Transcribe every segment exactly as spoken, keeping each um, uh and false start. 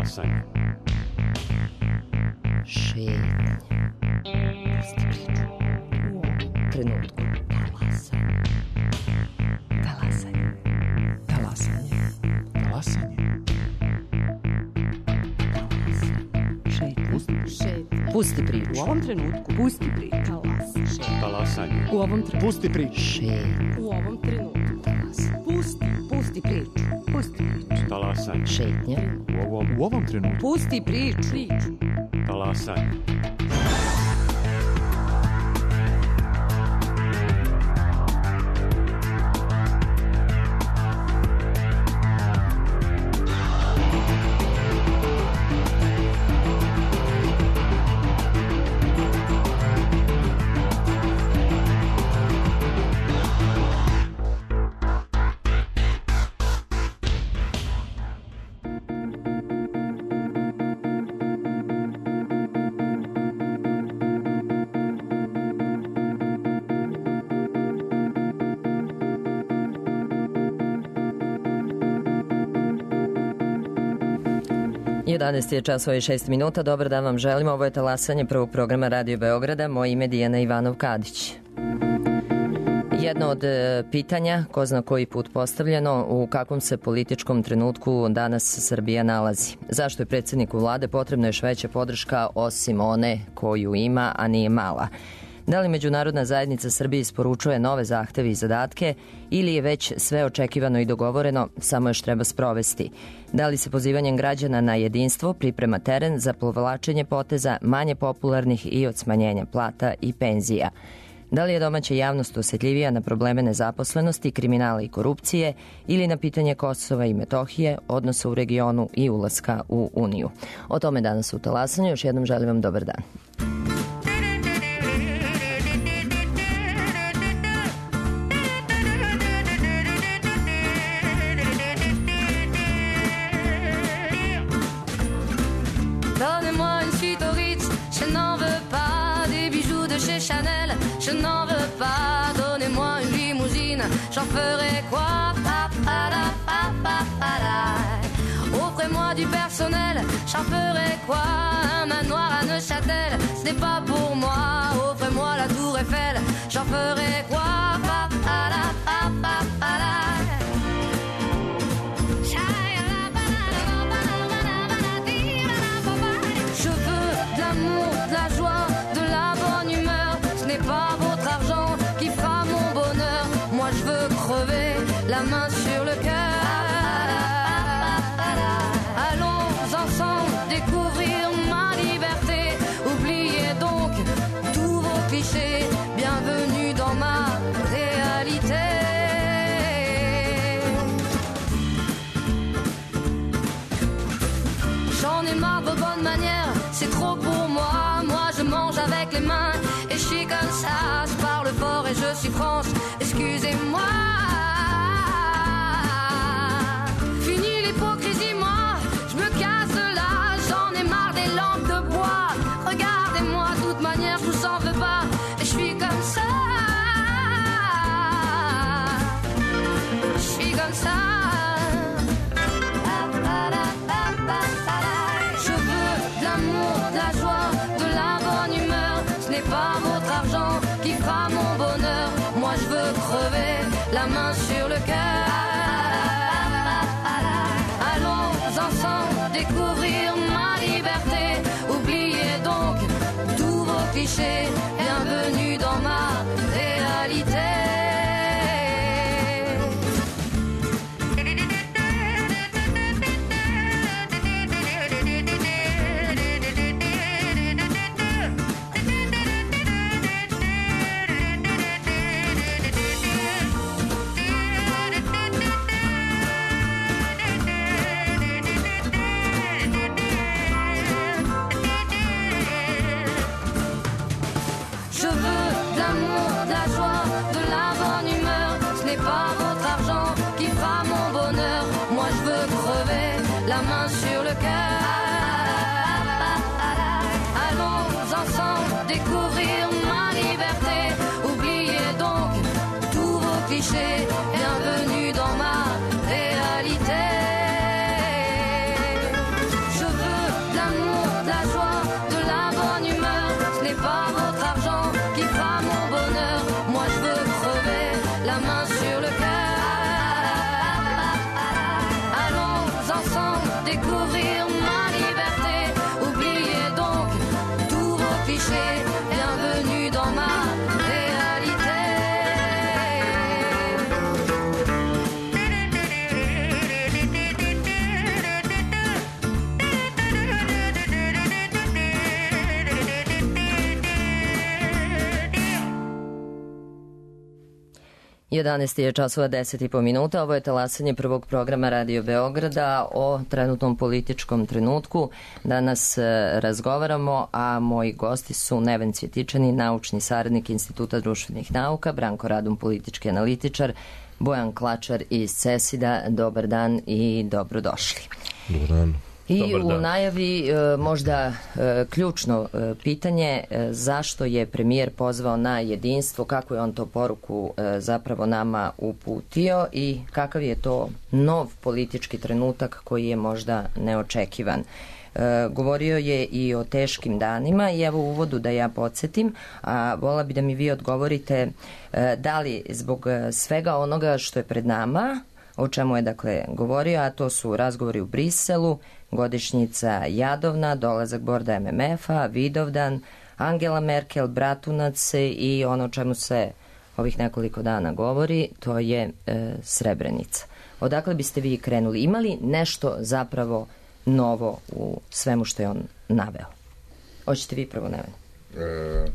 Talasanje. Šetnja. Pusti priču. U ovom trenutku. Talasanje. Talasanje. Talasanje. Talasanje. Šetnja. Šetnja. Pusti priču. U ovom trenutku. Pusti priču. Talasanje. Talasanje. U ovom trenutku. Pusti priču. Šetnja. U ovom trenutku. Talasanje. Pusti. Pusti priču. Pusti priču. Talasanje. Šetnja. U ovom, U ovom trenutku. Pusti priču. Priču. talasanje. jedanaest je časova i šest minuta. Dobar dan vam želim. Ovo je talasanje prvog programa Radio Beograda. Moje ime je Dijana Ivanov-Kadić. Jedno od pitanja, ko zna koji put postavljeno, u kakvom se političkom trenutku danas Srbija nalazi. Zašto je predsjedniku vlade potrebna još veća podrška osim one koju ima, a nije mala? Da li međunarodna zajednica Srbije isporučuje nove zahteve i zadatke ili je već sve očekivano i dogovoreno, samo još treba sprovesti? Da li se pozivanjem građana na jedinstvo priprema teren za povlačenje poteza manje popularnih i od smanjenja plata i penzija? Da li je domaća javnost osjetljivija na probleme nezaposlenosti, kriminala i korupcije ili na pitanje Kosova i Metohije, odnosa u regionu i ulaska u Uniju? O tome danas u talasanju. Još jednom želim vam dobar dan. Donnez-moi une suite au Ritz, je n'en veux pas. Des bijoux de chez Chanel, je n'en veux pas. Donnez-moi une limousine, j'en ferai quoi? Offrez-moi du personnel, j'en ferai quoi? Un manoir à Neuchâtel, ce n'est pas pour moi. Offrez-moi la tour Eiffel, j'en ferai quoi? De la joie, de la bonne humeur, ce n'est pas votre argent qui fera mon bonheur. Moi je veux crever la main sur le cœur. Allons ensemble découvrir ma liberté. Oubliez donc tous vos clichés. Bienvenue dans ma réalité. J'en ai marre de vos bonnes manières, c'est trop pour moi. Moi je mange avec les mains et je suis comme ça. Je parle fort et je suis France, excusez-moi. Fini l'hypocrisie, moi je me casse de là. J'en ai marre des lampes de bois. Regardez-moi, de toute manière je vous en veux pas. Et je suis comme ça. Je suis comme ça. De la joie, de la bonne humeur, ce n'est pas votre argent qui fera mon bonheur. Moi je veux crever la main sur le cœur. Allons ensemble découvrir ma liberté. Oubliez donc tous vos clichés. Bienvenue dans ma réalité. La main sur le cœur. Allons ensemble découvrir ma liberté. Oubliez donc tous vos clichés. Bienvenue dans ma réalité. Je jedanaest je časova deset i po minuta. Ovo je talasanje prvog programa Radio Beograda o trenutnom političkom trenutku. Danas razgovaramo, a moji gosti su Neven Cvjetičani, naučni saradnik Instituta društvenih nauka, Branko Radun, politički analitičar, Bojan Klačar iz CESID-a. Dobar dan i dobrodošli. Dobar dan. I u najavi možda ključno pitanje, zašto je premijer pozvao na jedinstvo, kako je on to poruku zapravo nama uputio i kakav je to nov politički trenutak koji je možda neočekivan. Govorio je i o teškim danima i evo u uvodu da ja podsjetim, a vola bi da mi vi odgovorite da li zbog svega onoga što je pred nama, o čemu je dakle govorio, a to su razgovori u Briselu, godišnjica Jadovna, dolazak borda M M F-a, Vidovdan, Angela Merkel, Bratunac i ono o čemu se ovih nekoliko dana govori, to je e, Srebrenica. Odakle biste vi krenuli? Imali nešto zapravo novo u svemu što je on naveo? Hoćete vi prvo, Neven? E,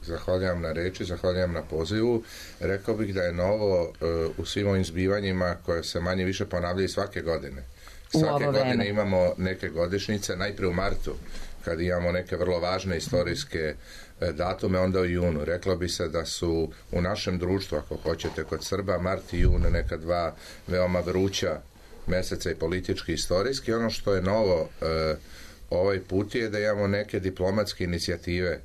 zahvaljam na reči, zahvaljam na pozivu. Rekao bih da je novo e, u svim ovim zbivanjima koje se manje više ponavljaju svake godine. Svake godine imamo neke godišnjice, najprije u martu, kad imamo neke vrlo važne istorijske datume, onda u junu. Reklo bi se da su u našem društvu, ako hoćete, kod Srba, mart i jun neka dva veoma vruća meseca i politički i istorijski. Ono što je novo e, ovaj put je da imamo neke diplomatske inicijative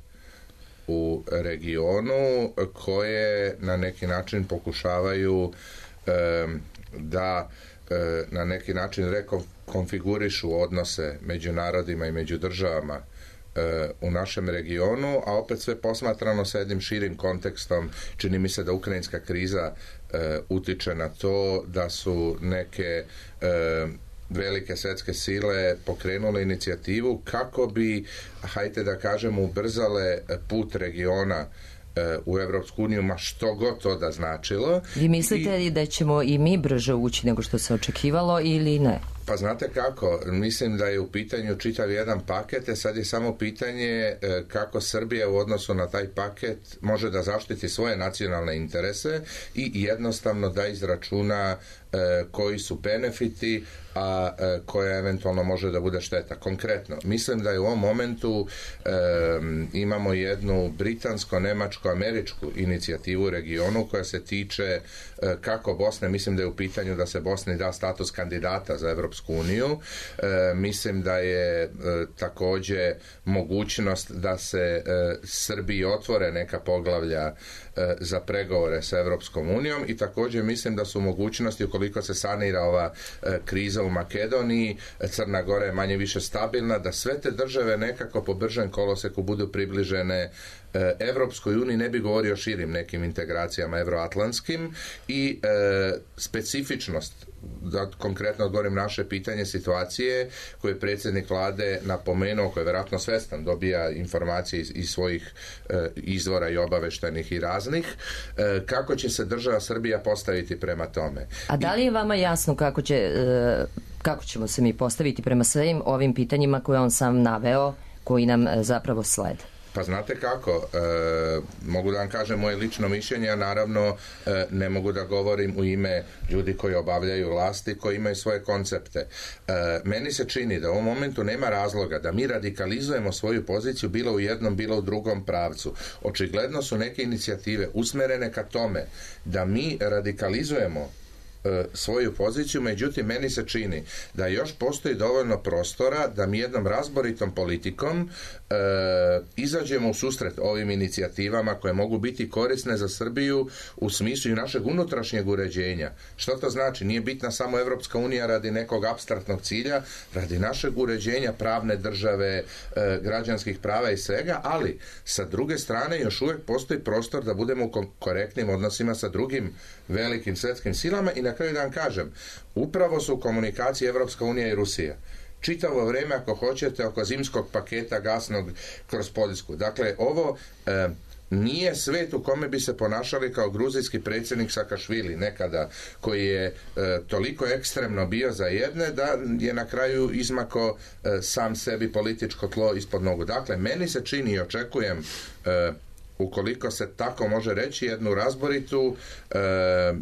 u regionu koje na neki način pokušavaju e, da na neki način rekonfigurišu odnose među narodima i među državama e, u našem regionu, a opet sve posmatrano sa jednim širim kontekstom. Čini mi se da ukrajinska kriza e, utiče na to da su neke e, velike svetske sile pokrenule inicijativu kako bi, hajde da kažemo, ubrzale put regiona u Evropsku uniju, ma što god to da značilo. Vi mislite li da ćemo i mi brže ući nego što se očekivalo ili ne? Pa znate kako, mislim da je u pitanju čitav jedan paket, a sad je samo pitanje kako Srbija u odnosu na taj paket može da zaštiti svoje nacionalne interese i jednostavno da izračuna koji su benefiti, a koja eventualno može da bude šteta. Konkretno, mislim da je u ovom momentu e, imamo jednu britansko-nemačko-američku inicijativu u regionu koja se tiče e, kako Bosne, mislim da je u pitanju da se Bosni da status kandidata za Evropsku uniju. E, mislim da je e, takođe mogućnost da se e, Srbiji otvore neka poglavlja e, za pregovore sa Evropskom unijom i takođe mislim da su mogućnosti ukoliko se sanira ova e, kriza u Makedoniji, Crna Gora je manje više stabilna, da sve te države nekako po bržem koloseku budu približene Evropskoj uniji, ne bi govorio o širim nekim integracijama evroatlantskim i e, specifičnost, da konkretno odgovorim naše pitanje, situacije koje je predsjednik vlade napomenuo, koji je vjerojatno svestan, dobija informacije iz, iz svojih e, izvora i obaveštenih i raznih, e, kako će se država Srbija postaviti prema tome. A da li je vama jasno kako će e, kako ćemo se mi postaviti prema svim ovim pitanjima koje on sam naveo, koji nam e, zapravo slede? Pa znate kako, e, mogu da vam kažem moje lično mišljenje, a naravno e, ne mogu da govorim u ime ljudi koji obavljaju vlasti, koji imaju svoje koncepte. E, meni se čini da u ovom momentu nema razloga da mi radikalizujemo svoju poziciju bilo u jednom, bilo u drugom pravcu. Očigledno su neke inicijative usmerene ka tome da mi radikalizujemo svoju poziciju, međutim meni se čini da još postoji dovoljno prostora da mi jednom razboritom politikom e, izađemo u susret ovim inicijativama koje mogu biti korisne za Srbiju u smislu i našeg unutrašnjeg uređenja. Što to znači? Nije bitna samo Evropska unija radi nekog apstraktnog cilja, radi našeg uređenja pravne države, e, građanskih prava i svega, ali sa druge strane još uvijek postoji prostor da budemo u korektnim odnosima sa drugim velikim svjetskim silama i na kraju da vam kažem, upravo su u komunikaciji Evropska unija i Rusija. Čitavo vrijeme, ako hoćete, oko zimskog paketa gasnog kroz Poljsku. Dakle, ovo e, nije svet u kome bi se ponašali kao gruzijski predsjednik Sakašvili nekada, koji je e, toliko ekstremno bio za jedne da je na kraju izmako e, sam sebi političko tlo ispod nogu. Dakle, meni se čini i očekujem e, ukoliko se tako može reći, jednu razboritu, e,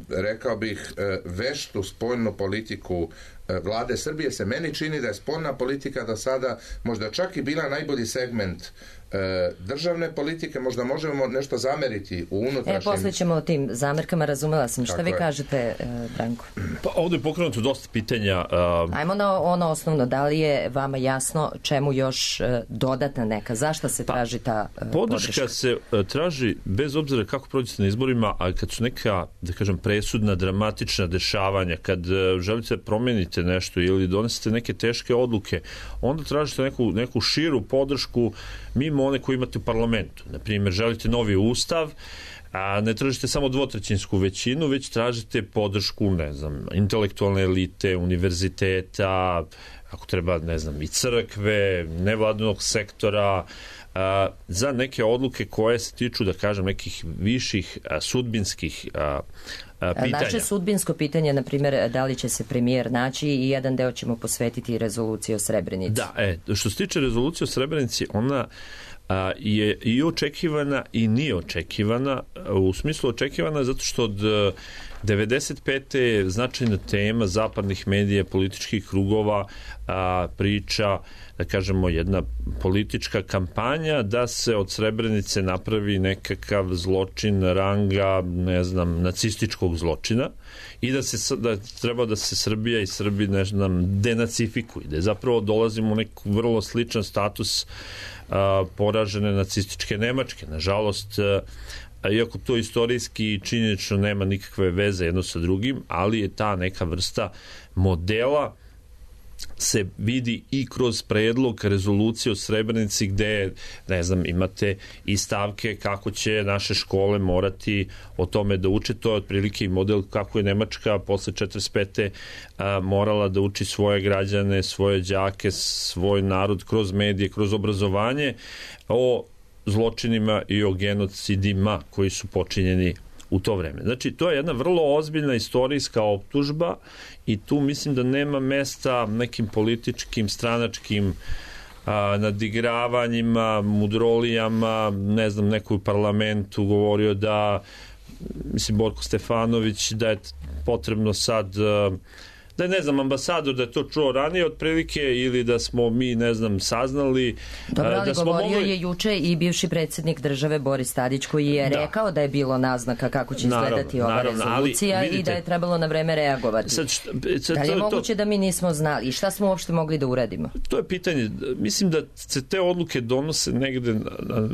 rekao bih, e, veštu spoljnu politiku e, vlade Srbije. Se meni čini da je spoljna politika do sada možda čak i bila najbolji segment e, državne politike. Možda možemo nešto zameriti u unutrašnjem... E, posle ćemo o tim zamerkama, razumela sam. Šta vi je. kažete, e, Branko? Pa ovdje je pokrenuto dosta pitanja. Uh... Ajmo na ono osnovno. Da li je vama jasno čemu još uh, dodatna neka? Zašto se pa, traži ta uh, podrška? Podrška se uh, traži bez obzira kako prođete na izborima, a kad su neka, da kažem, presudna, dramatična dešavanja, kad uh, želite promeniti nešto ili donesete neke teške odluke, onda tražite neku, neku širu podršku mimo one koje imate u parlamentu. Naprimjer, želite novi ustav, a ne tražite samo dvotrećinsku većinu, već tražite podršku, ne znam, intelektualne elite, univerziteta, ako treba, ne znam, i crkve, nevladinog sektora, a, za neke odluke koje se tiču, da kažem, nekih viših a, sudbinskih a, a, pitanja. Naše sudbinsko pitanje, na primjer, da li će se premijer naći, i jedan deo ćemo posvetiti rezoluciji o Srebrenici. Da, e, što se tiče rezolucije o Srebrenici, ona a, je i očekivana i nije očekivana. U smislu očekivana zato što od devedeset pete je značajna tema zapadnih medija, političkih krugova, a, priča, da kažemo, jedna politička kampanja da se od Srebrenice napravi nekakav zločin ranga, ne znam, nacističkog zločina i da se da treba da se Srbija i Srbi, ne znam, denacifikuju, da je zapravo dolazimo u neku vrlo sličan status a, poražene nacističke Nemačke. Nažalost, a, iako to istorijski i činjenično nema nikakve veze jedno sa drugim, ali je ta neka vrsta modela se vidi i kroz predlog rezolucije o Srebrenici, gde, ne znam, imate i stavke kako će naše škole morati o tome da uče. To je otprilike i model kako je Nemačka posle četrdeset pete a, morala da uči svoje građane, svoje đake, svoj narod kroz medije, kroz obrazovanje o zločinima i o genocidima koji su počinjeni u to vreme. Znači, to je jedna vrlo ozbiljna istorijska optužba i tu mislim da nema mesta nekim političkim, stranačkim a, nadigravanjima, mudrolijama. Ne znam, neko u parlamentu govorio da, mislim, Borko Stefanović, da je potrebno sad... A, da je, ne znam, ambasador da je to čuo ranije otprilike ili da smo mi, ne znam, saznali. Dobro, ali da smo govorio mogli... je juče i bivši predsjednik države Boris Tadić, koji je da. rekao da je bilo naznaka kako će naravno, izgledati ova naravno, rezolucija, vidite, i da je trebalo na vreme reagovati. Sad, šta, sad, da li je to, moguće to... da mi nismo znali i šta smo uopšte mogli da uradimo? To je pitanje. Mislim da se te odluke donose negde na, na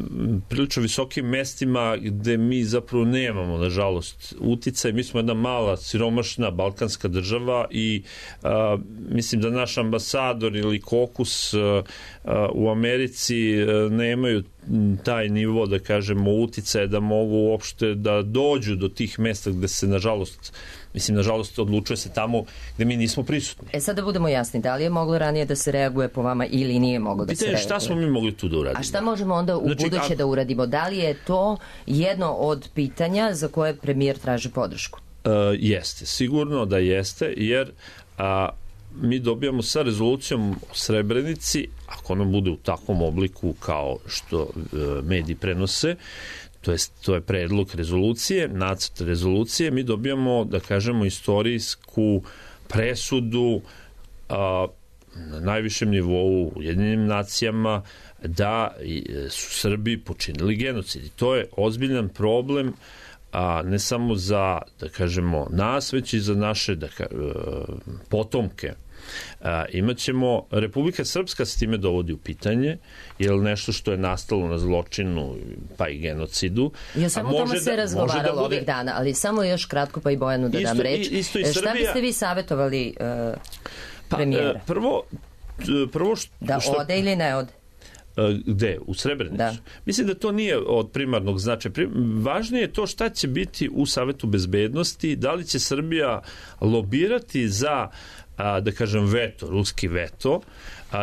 prilično visokim mestima gde mi zapravo nemamo, nažalost, uticaj. Mi smo jedna mala, siromašna balkanska država i I a, mislim da naš ambasador ili kokus a, a, u Americi a, nemaju taj nivo, da kažemo, uticaje da mogu uopšte da dođu do tih mesta gde se, nažalost, mislim, nažalost, odlučuje se tamo gde mi nismo prisutni. E sad da budemo jasni, da li je moglo ranije da se reaguje po vama ili nije moglo da Pitanje, se reaguje? Šta smo mi mogli tu da uradimo? A šta možemo onda u znači, buduće a... da uradimo? Da li je to jedno od pitanja za koje premijer traži podršku? Uh, jeste, sigurno da jeste, jer a, mi dobijamo sa rezolucijom o Srebrenici, ako ona bude u takvom obliku kao što uh, mediji prenose, to je, to je predlog rezolucije, nacrt rezolucije, mi dobijamo, da kažemo, istorijsku presudu a, na najvišem nivou u Ujedinjenim nacijama da su Srbi počinili genocid. I to je ozbiljan problem, a ne samo za, da kažemo, nas, već i za naše da ka, potomke. A, imaćemo, Republika Srpska s time dovodi u pitanje, jer nešto što je nastalo na zločinu pa i genocidu. Ja samo tome se da, razgovaralo da bude... ovih dana, ali samo još kratko pa i Bojanu da isto, dam reč. Isto i Srbija... Šta biste vi savjetovali uh, premijera? Pa, prvo, prvo što... Da ode ili ne ode? Gde? U Srebrenicu? Da. Mislim da to nije od primarnog značaja. Važnije je to šta će biti u Savetu bezbednosti, da li će Srbija lobirati za, da kažem, veto, ruski veto.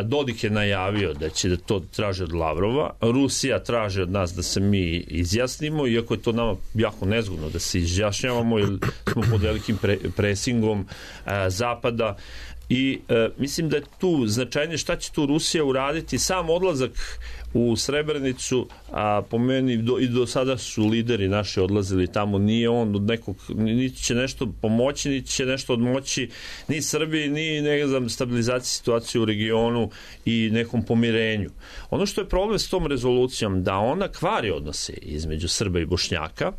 Dodik je najavio da će da to traži od Lavrova. Rusija traži od nas da se mi izjasnimo, iako je to nama jako nezgodno da se izjašnjavamo, jer smo pod velikim pre, presingom Zapada. I e, mislim da je tu značajnije šta će tu Rusija uraditi. Sam odlazak u Srebrenicu, a po meni do, i do sada su lideri naši odlazili tamo, nije on od nekog, niti će nešto pomoći, niti će nešto odmoći ni Srbiji, ni ne znam, stabilizaciji situacije u regionu i nekom pomirenju. Ono što je problem s tom rezolucijom, da ona kvari odnose između Srba i Bošnjaka,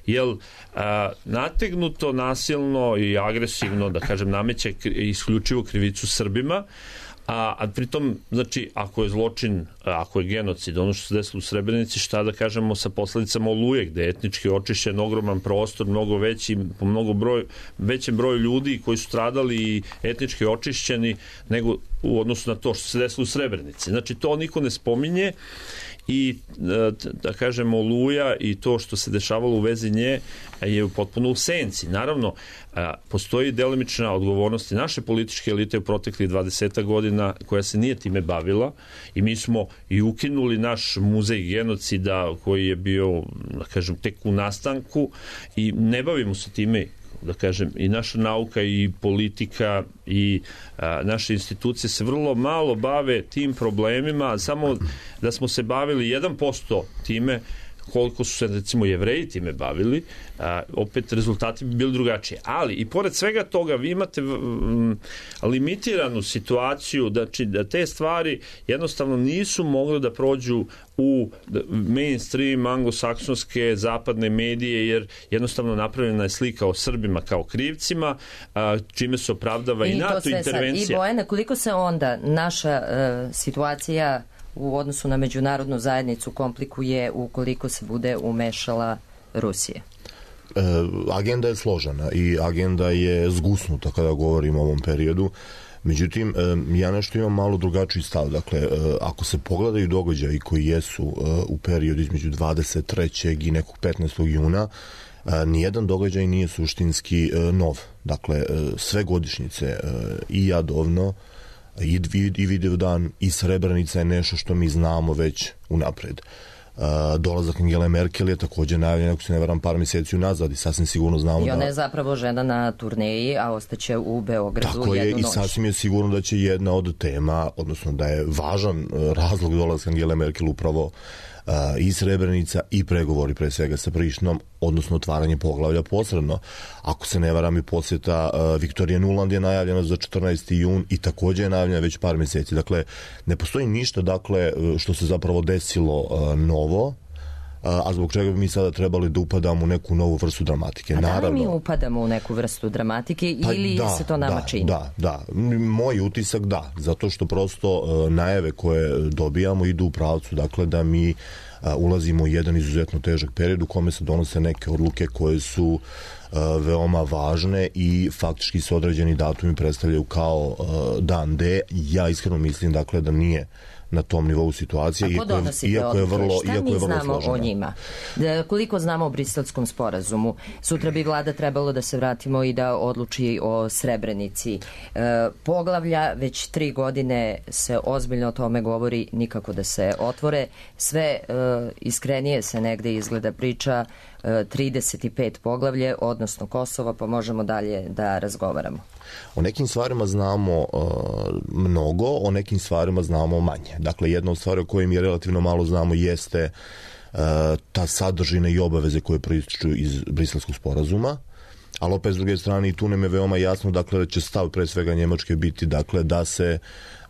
jer a, nategnuto, nasilno i agresivno, da kažem, nameće isključivo krivicu Srbima, a, a pritom, znači, ako je zločin, ako je genocid, ono što se desilo u Srebrenici, šta da kažemo sa posledicama Oluje, gde je etnički očišćen ogroman prostor, mnogo veći, po mnogo broj, većem broju ljudi koji su stradali i etnički očišćeni nego u odnosu na to što se desilo u Srebrenici. Znači, to niko ne spominje i, da kažemo, Oluja i to što se dešavalo u vezi nje je potpuno u senci. Naravno, postoji delimična odgovornost i naše političke elite u proteklih dvadeset godina koja se nije time bavila i mi smo i ukinuli naš muzej genocida koji je bio, da kažem, tek u nastanku i ne bavimo se time, da kažem, i naša nauka i politika i a, naše institucije se vrlo malo bave tim problemima, samo da smo se bavili jedan posto time koliko su se, recimo, Jevreji time bavili, a, opet rezultati bi bili drugačiji. Ali i pored svega toga vi imate m, limitiranu situaciju, da, či, da te stvari jednostavno nisu mogle da prođu u mainstream anglosaksonske zapadne medije, jer jednostavno napravljena je slika o Srbima kao krivcima, a, čime se opravdava i, i NATO intervencija. Sad. I Bojana, koliko se onda naša uh, situacija u odnosu na međunarodnu zajednicu komplikuje ukoliko se bude umešala Rusija? E, agenda je složena i agenda je zgusnuta kada govorimo o ovom periodu. Međutim, e, ja nešto imam malo drugačiji stav. Dakle, e, ako se pogledaju događaji koji jesu e, u periodu između dvadeset trećeg i nekog petnaestog juna, e, nijedan događaj nije suštinski e, nov. Dakle, e, sve godišnjice e, i Jadovno, i, i Vidovdan i Srebrenica je nešto što mi znamo već unapred. Uh, dolazak Angele Merkel je također najavljen, ako se ne varam, par mjeseci unazad i sasvim sigurno znamo da... I ona je zapravo žena na turneji, a ostaće u Beogradu jednu noć. Tako je, i sasvim je sigurno da će jedna od tema, odnosno da je važan razlog dolazka Angele Merkel upravo uh, i Srebrenica i pregovori pre svega sa Prištinom, odnosno otvaranje poglavlja posredno. Ako se ne varam, i posjeta uh, Viktorije Nuland je najavljena za četrnaesti jun i također je najavljena već par mjeseci. Dakle, ne postoji ništa, dakle, što se zapravo desilo uh, novo, a zbog čega bi mi sada trebali da upadamo u neku novu vrstu dramatike. A Naravno, da li mi upadamo u neku vrstu dramatike pa ili da, se to nama da, čini? Da, da. Moj utisak da, zato što prosto uh, najave koje dobijamo idu u pravcu, dakle, da mi uh, ulazimo u jedan izuzetno težak period u kome se donose neke odluke koje su uh, veoma važne i faktički se određeni datumi predstavljaju kao uh, dan D. Ja iskreno mislim, dakle, da nije na tom nivou situacije, iako je, iako je vrlo, šta iako mi je vrlo znamo složena. O njima? Da, koliko znamo o Briselskom sporazumu? Sutra bi vlada trebalo da se vratimo i da odluči o Srebrenici. E, poglavlja, već tri godine se ozbiljno o tome govori, nikako da se otvore. Sve e, iskrenije se negde izgleda priča e, trideset pet poglavlje, odnosno Kosovo, pa možemo dalje da razgovaramo. O nekim stvarima znamo uh, mnogo, o nekim stvarima znamo manje. Dakle, jedna od stvari o kojoj mi relativno malo znamo jeste uh, ta sadržina i obaveze koje proističu iz Briselskog sporazuma, ali opet s druge strane i tu nam je veoma jasno, dakle, da će stav pre svega Njemačke biti, dakle, da se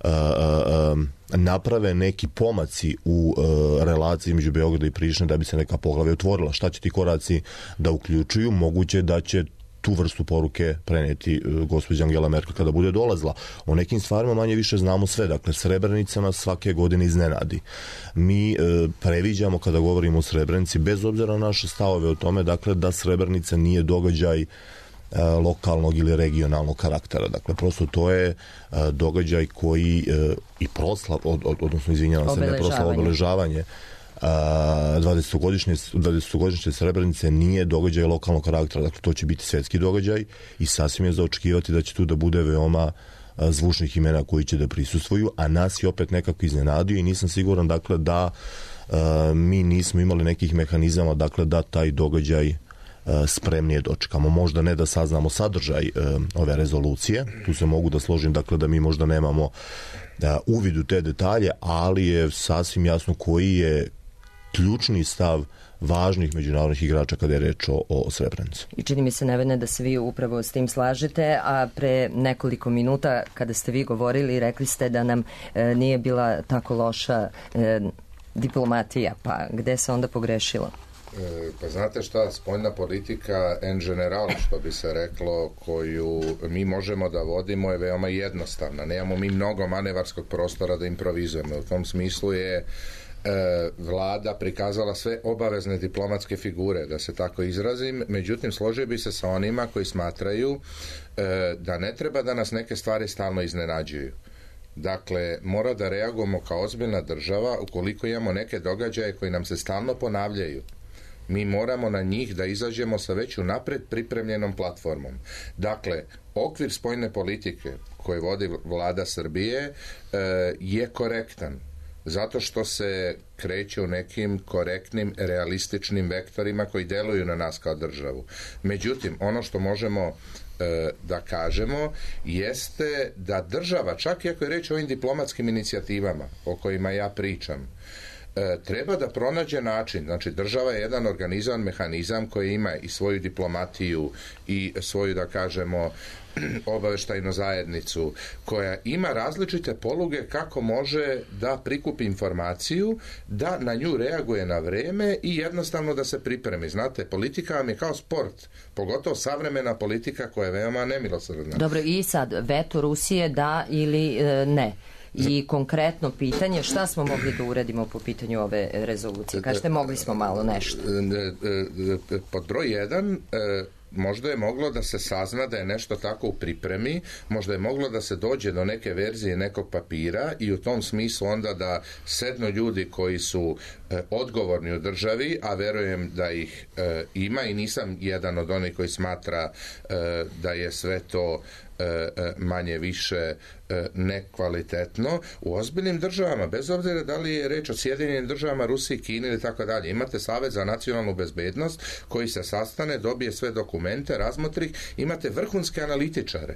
uh, uh, naprave neki pomaci u uh, relaciji među Beograda i Prištine da bi se neka poglavlja otvorila. Šta će ti koraci da uključuju? Moguće da će tu vrstu poruke preneti uh, gospođa Angela Merkel kada bude dolazila. O nekim stvarima manje više znamo sve. Dakle, Srebrenica nas svake godine iznenadi. Mi uh, previđamo kada govorimo o Srebrenici, bez obzira na naše stavove o tome, dakle, da Srebrenica nije događaj uh, lokalnog ili regionalnog karaktera. Dakle, prosto to je uh, događaj koji uh, i proslav, od, od, odnosno izvinjavam se, ne proslav, obeležavanje dvadesetogodišnje Srebrenice nije događaj lokalnog karaktera, dakle to će biti svetski događaj i sasvim je za očekivati da će tu da bude veoma zvučnih imena koji će da prisustvuju, a nas je opet nekako iznenadio i nisam siguran, dakle, da uh, mi nismo imali nekih mehanizama, dakle, da taj događaj spremnije dočekamo. Možda ne da saznamo sadržaj ove rezolucije, tu se mogu da složim, dakle da mi možda nemamo uvid u te detalje, ali je sasvim jasno koji je ključni stav važnih međunarodnih igrača kada je reč o, o Srebrenici. I čini mi se, Nevene, da se vi upravo s tim slažete, a pre nekoliko minuta kada ste vi govorili, rekli ste da nam e, nije bila tako loša e, diplomatija, pa gde se onda pogrešilo? E, pa znate šta, spoljna politika en general, što bi se reklo, koju mi možemo da vodimo je veoma jednostavna. Nemamo mi mnogo manevarskog prostora da improvizujemo. U tom smislu je vlada prikazala sve obavezne diplomatske figure, da se tako izrazim, međutim složio bi se sa onima koji smatraju da ne treba da nas neke stvari stalno iznenađuju. Dakle, mora da reagujemo kao ozbiljna država ukoliko imamo neke događaje koji nam se stalno ponavljaju. Mi moramo na njih da izađemo sa već unapred pripremljenom platformom. Dakle, okvir spoljne politike koje vodi vlada Srbije je korektan, zato što se kreće u nekim korektnim, realističnim vektorima koji deluju na nas kao državu. Međutim, ono što možemo e, da kažemo jeste da država, čak i ako je reč o ovim diplomatskim inicijativama o kojima ja pričam, e, treba da pronađe način. Znači, država je jedan organizovan mehanizam koji ima i svoju diplomatiju i svoju, da kažemo, obaveštajnu zajednicu, koja ima različite poluge kako može da prikupi informaciju, da na nju reaguje na vreme i jednostavno da se pripremi. Znate, politika vam je kao sport, pogotovo savremena politika koja je veoma nemilosrdna. Dobro, i sad, veto Rusije da ili e, ne? I konkretno pitanje, šta smo mogli da uradimo po pitanju ove rezolucije? Kažete, mogli smo malo nešto. Pod broj jedan, možda je moglo da se sazna da je nešto tako u pripremi, možda je moglo da se dođe do neke verzije nekog papira i u tom smislu onda da sednu ljudi koji su e, odgovorni u državi, a verujem da ih e, ima i nisam jedan od onih koji smatra e, da je sve to manje više nekvalitetno. U ozbiljnim državama, bez obzira da li je reč o Sjedinjenim državama, Rusiji, Kini ili tako dalje, imate Savet za nacionalnu bezbednost koji se sastane, dobije sve dokumente, razmotri, imate vrhunske analitičare.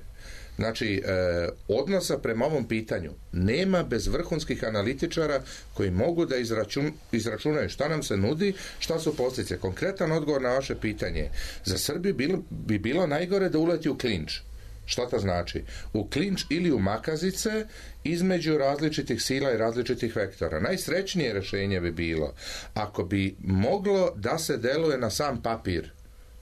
Znači, eh, odnosa prema ovom pitanju nema bez vrhunskih analitičara koji mogu da izračun, izračunaju šta nam se nudi, šta su posljedice. Konkretan odgovor na vaše pitanje. Za Srbiju bilo, bi bilo najgore da uleti u klinč. Šta to znači? U klinč ili u makazice između različitih sila i različitih vektora. Najsrećnije rješenje bi bilo ako bi moglo da se deluje na sam papir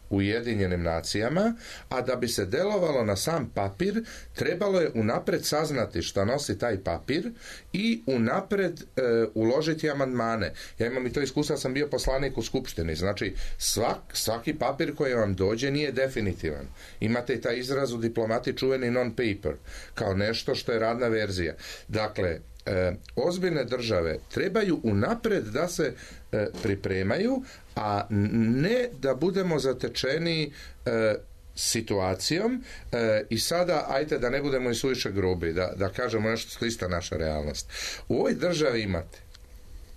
u Ujedinjenim nacijama, a da bi se delovalo na sam papir, trebalo je unapred saznati šta nosi taj papir i unapred e, uložiti amandmane. Ja imam i to iskustvo, sam bio poslanik u Skupštini. Znači, svak, svaki papir koji vam dođe nije definitivan. Imate i taj izraz u diplomati čuveni non-paper, kao nešto što je radna verzija. Dakle, E, ozbiljne države trebaju unapred da se e, pripremaju, a ne da budemo zatečeni e, situacijom e, i sada, ajte da ne budemo i suviše grubi, da, da kažemo nešto što je ista naša realnost. U ovoj državi imate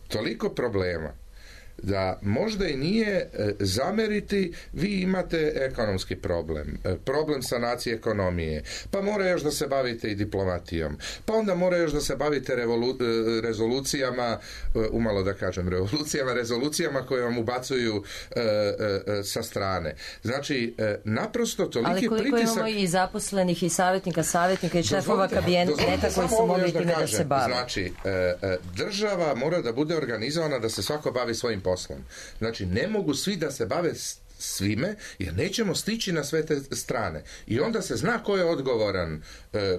toliko problema da možda i nije e, zameriti, vi imate ekonomski problem, e, problem sanacije ekonomije, pa mora još da se bavite i diplomatijom, pa onda mora još da se bavite revolu, e, rezolucijama, e, umalo da kažem revolucijama, rezolucijama koje vam ubacuju e, e, sa strane. Znači, e, naprosto toliki pritisak... Ali koliko pritisak... imamo i zaposlenih i savjetnika, savjetnika i šefova kabineta koji su mogli time da, da se bave. Znači, e, e, država mora da bude organizovana da se svako bavi svojim poslom. Znači, ne mogu svi da se bave svime, jer nećemo stići na sve te strane. I onda se zna ko je odgovoran, e, e, e,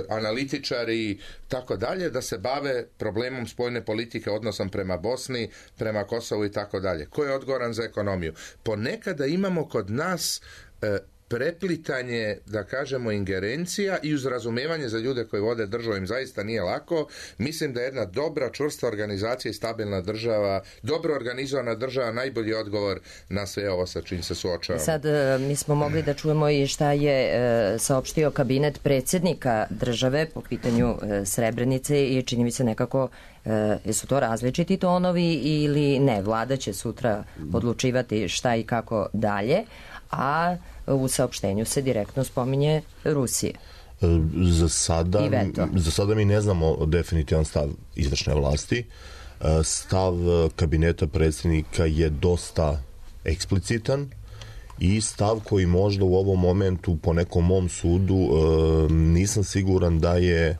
analitičari, tako dalje, da se bave problemom spoljne politike, odnosom prema Bosni, prema Kosovu i tako dalje. Ko je odgovoran za ekonomiju? Ponekada imamo kod nas e, preplitanje, da kažemo, ingerencija i uz razumevanje za ljude koji vode državu im zaista nije lako. Mislim da je jedna dobra, čvrsta organizacija i stabilna država, dobro organizovana država, najbolji odgovor na sve ovo sa čim se suočavamo. Sad mi smo mogli da čujemo i šta je e, saopštio kabinet predsjednika države po pitanju e, Srebrenice i čini mi se nekako e, jesu to različiti tonovi ili ne. Vlada će sutra odlučivati šta i kako dalje, a u saopštenju se direktno spominje Rusije. Za sada, za sada mi ne znamo definitivan stav izvršne vlasti. Stav kabineta predsjednika je dosta eksplicitan i stav koji možda u ovom momentu po nekom mom sudu nisam siguran da je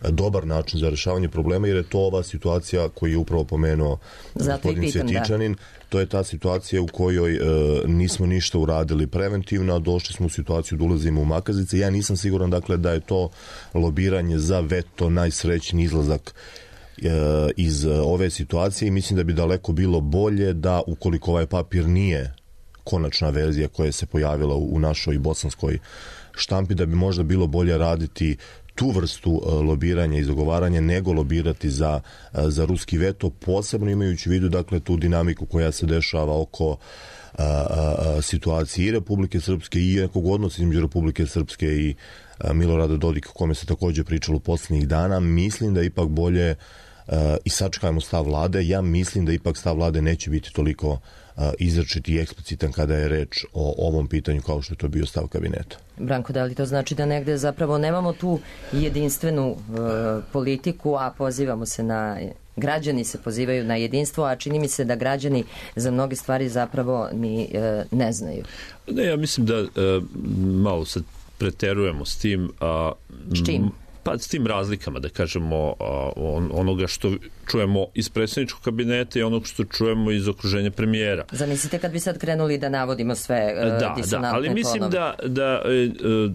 dobar način za rešavanje problema, jer je to ova situacija koju je upravo pomenuo gospodin Cvjetičanin. Da. To je ta situacija u kojoj e, nismo ništa uradili preventivno, a došli smo u situaciju da ulazimo u makazice. Ja nisam siguran, dakle, da je to lobiranje za veto najsrećniji izlazak e, iz ove situacije i mislim da bi daleko bilo bolje da, ukoliko ovaj papir nije konačna verzija koja se pojavila u, u našoj bosanskoj štampi, da bi možda bilo bolje raditi tu vrstu lobiranja i zagovaranja nego lobirati za, za ruski veto, posebno imajući u vidu, dakle, tu dinamiku koja se dešava oko a, a, situacije i Republike Srpske i nekog odnosa između Republike Srpske i a, Milorada Dodika, o kome se također pričalo poslednjih dana. Mislim da ipak bolje a, i sačekajmo stav vlade. Ja mislim da ipak stav vlade neće biti toliko izrečiti i eksplicitan kada je reč o ovom pitanju kao što je to bio stav kabineta. Branko, da li to znači da negde zapravo nemamo tu jedinstvenu uh, politiku, a pozivamo se na, građani se pozivaju na jedinstvo, a čini mi se da građani za mnoge stvari zapravo ni uh, ne znaju. Ne, ja mislim da uh, malo sad preterujemo s tim. Uh, s čim? Pa s tim razlikama, da kažemo, on, onoga što čujemo iz predsjedničkog kabineta i onog što čujemo iz okruženja premijera. Zamislite kad bi sad krenuli da navodimo sve uh, da, disonantne da, ali mislim tonove. da, da uh,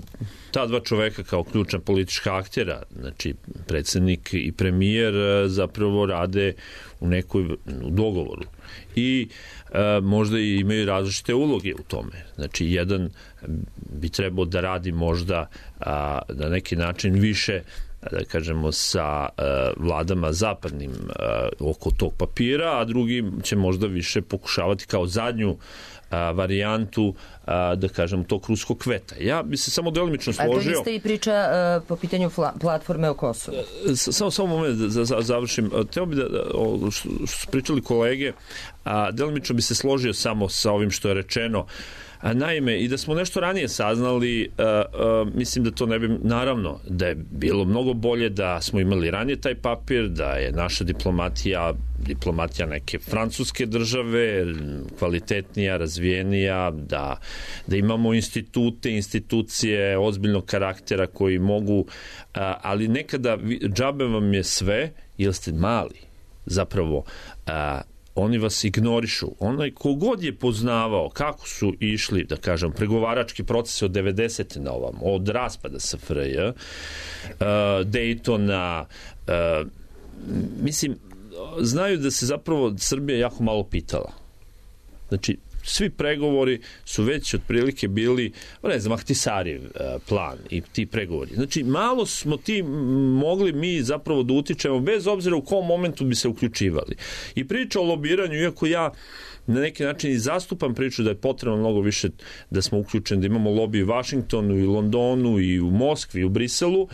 ta dva čoveka kao ključna politička aktera, znači predsjednik i premijer, uh, zapravo rade u nekoj u dogovoru. I e, možda i imaju različite uloge u tome. Znači, jedan bi trebao da radi možda a, na neki način više, da kažemo, sa a, vladama zapadnim a, oko tog papira, a drugi će možda više pokušavati kao zadnju a, varijantu, a, da kažem, tog ruskog kveta. Ja bi se samo delimično složio... A to isto i priča a, po pitanju fla, platforme o Kosovu. Samo, samo moment da za, završim. Teo bi da, o, što su pričali kolege, a, delimično bi se složio samo sa ovim što je rečeno. A, naime, i da smo nešto ranije saznali, a, a, mislim da to ne bi, naravno, da je bilo mnogo bolje da smo imali ranije taj papir, da je naša diplomatija, diplomatija neke francuske države, kvalitetnija, razvijenija, da, da imamo institute, institucije ozbiljnog karaktera koji mogu, a, ali nekada džabe vam je sve, jer ste mali, zapravo, a, oni vas ignorišu. Onaj kogod je poznavao kako su išli, da kažem, pregovarački proces od devedesete na ovam, od raspada S F R J, uh, Daytona, uh, mislim, znaju da se zapravo Srbija jako malo pitala. Znači, svi pregovori su već otprilike bili, ne znam, Ahtisarijev plan i ti pregovori. Znači, malo smo ti mogli mi zapravo da utičemo, bez obzira u kom momentu bi se uključivali. I priča o lobiranju, iako ja na neki način i zastupam priču da je potrebno mnogo više da smo uključeni, da imamo lobby u Vašingtonu i Londonu i u Moskvi i u Briselu,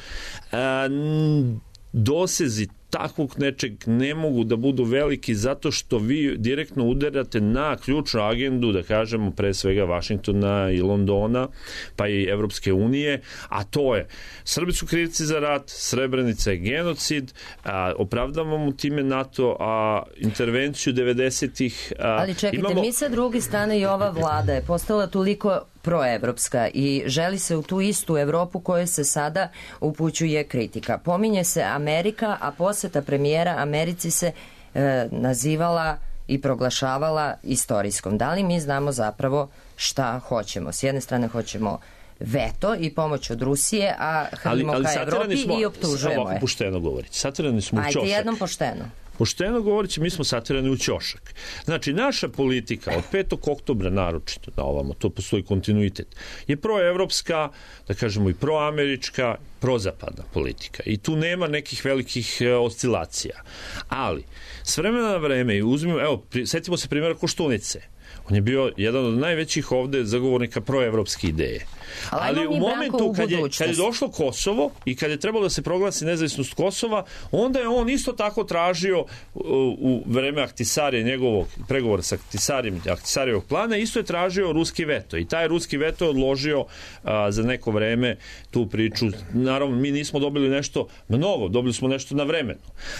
dosezi takvog nečeg ne mogu da budu veliki zato što vi direktno udarate na ključnu agendu, da kažemo, pre svega Vašingtona i Londona, pa i Evropske unije, a to je Srbi su krivci za rat, Srebrenica je genocid, a, opravdavamo time NATO, a intervenciju devedesetih... A, Ali čekajte, imamo... mi sa druge strane i ova vlada je postala toliko proevropska i želi se u tu istu Evropu kojoj se sada upućuje kritika. Pominje se Amerika, a poseta premijera Americi se e, nazivala i proglašavala istorijskom. Da li mi znamo zapravo šta hoćemo? S jedne strane hoćemo veto i pomoć od Rusije, a hrlimo ka Evropi smo, i optužujemo je. Ovako pošteno govoriti. Satirani smo u ćošak. Ajde jednom pošteno. Pošteno govoreći, mi smo satirani u ćošak. Znači, naša politika od petog oktobra naročito, da ovamo, to postoji kontinuitet, je proevropska, da kažemo i proamerička, prozapadna politika. I tu nema nekih velikih e, oscilacija. Ali, s vremena na vreme, uzmimo, evo, pri, setimo se primjera Koštunice. On je bio jedan od najvećih ovde zagovornika proevropske ideje. Ali, Ali u momentu kad je, kad je došlo Kosovo i kad je trebalo da se proglasi nezavisnost Kosova, onda je on isto tako tražio u, u vreme Ahtisarije, njegovog pregovora sa Ahtisarijem, Ahtisarijevog plana, isto je tražio ruski veto. I taj ruski veto je odložio a, za neko vreme tu priču. Naravno, mi nismo dobili nešto mnogo, dobili smo nešto na vremenu.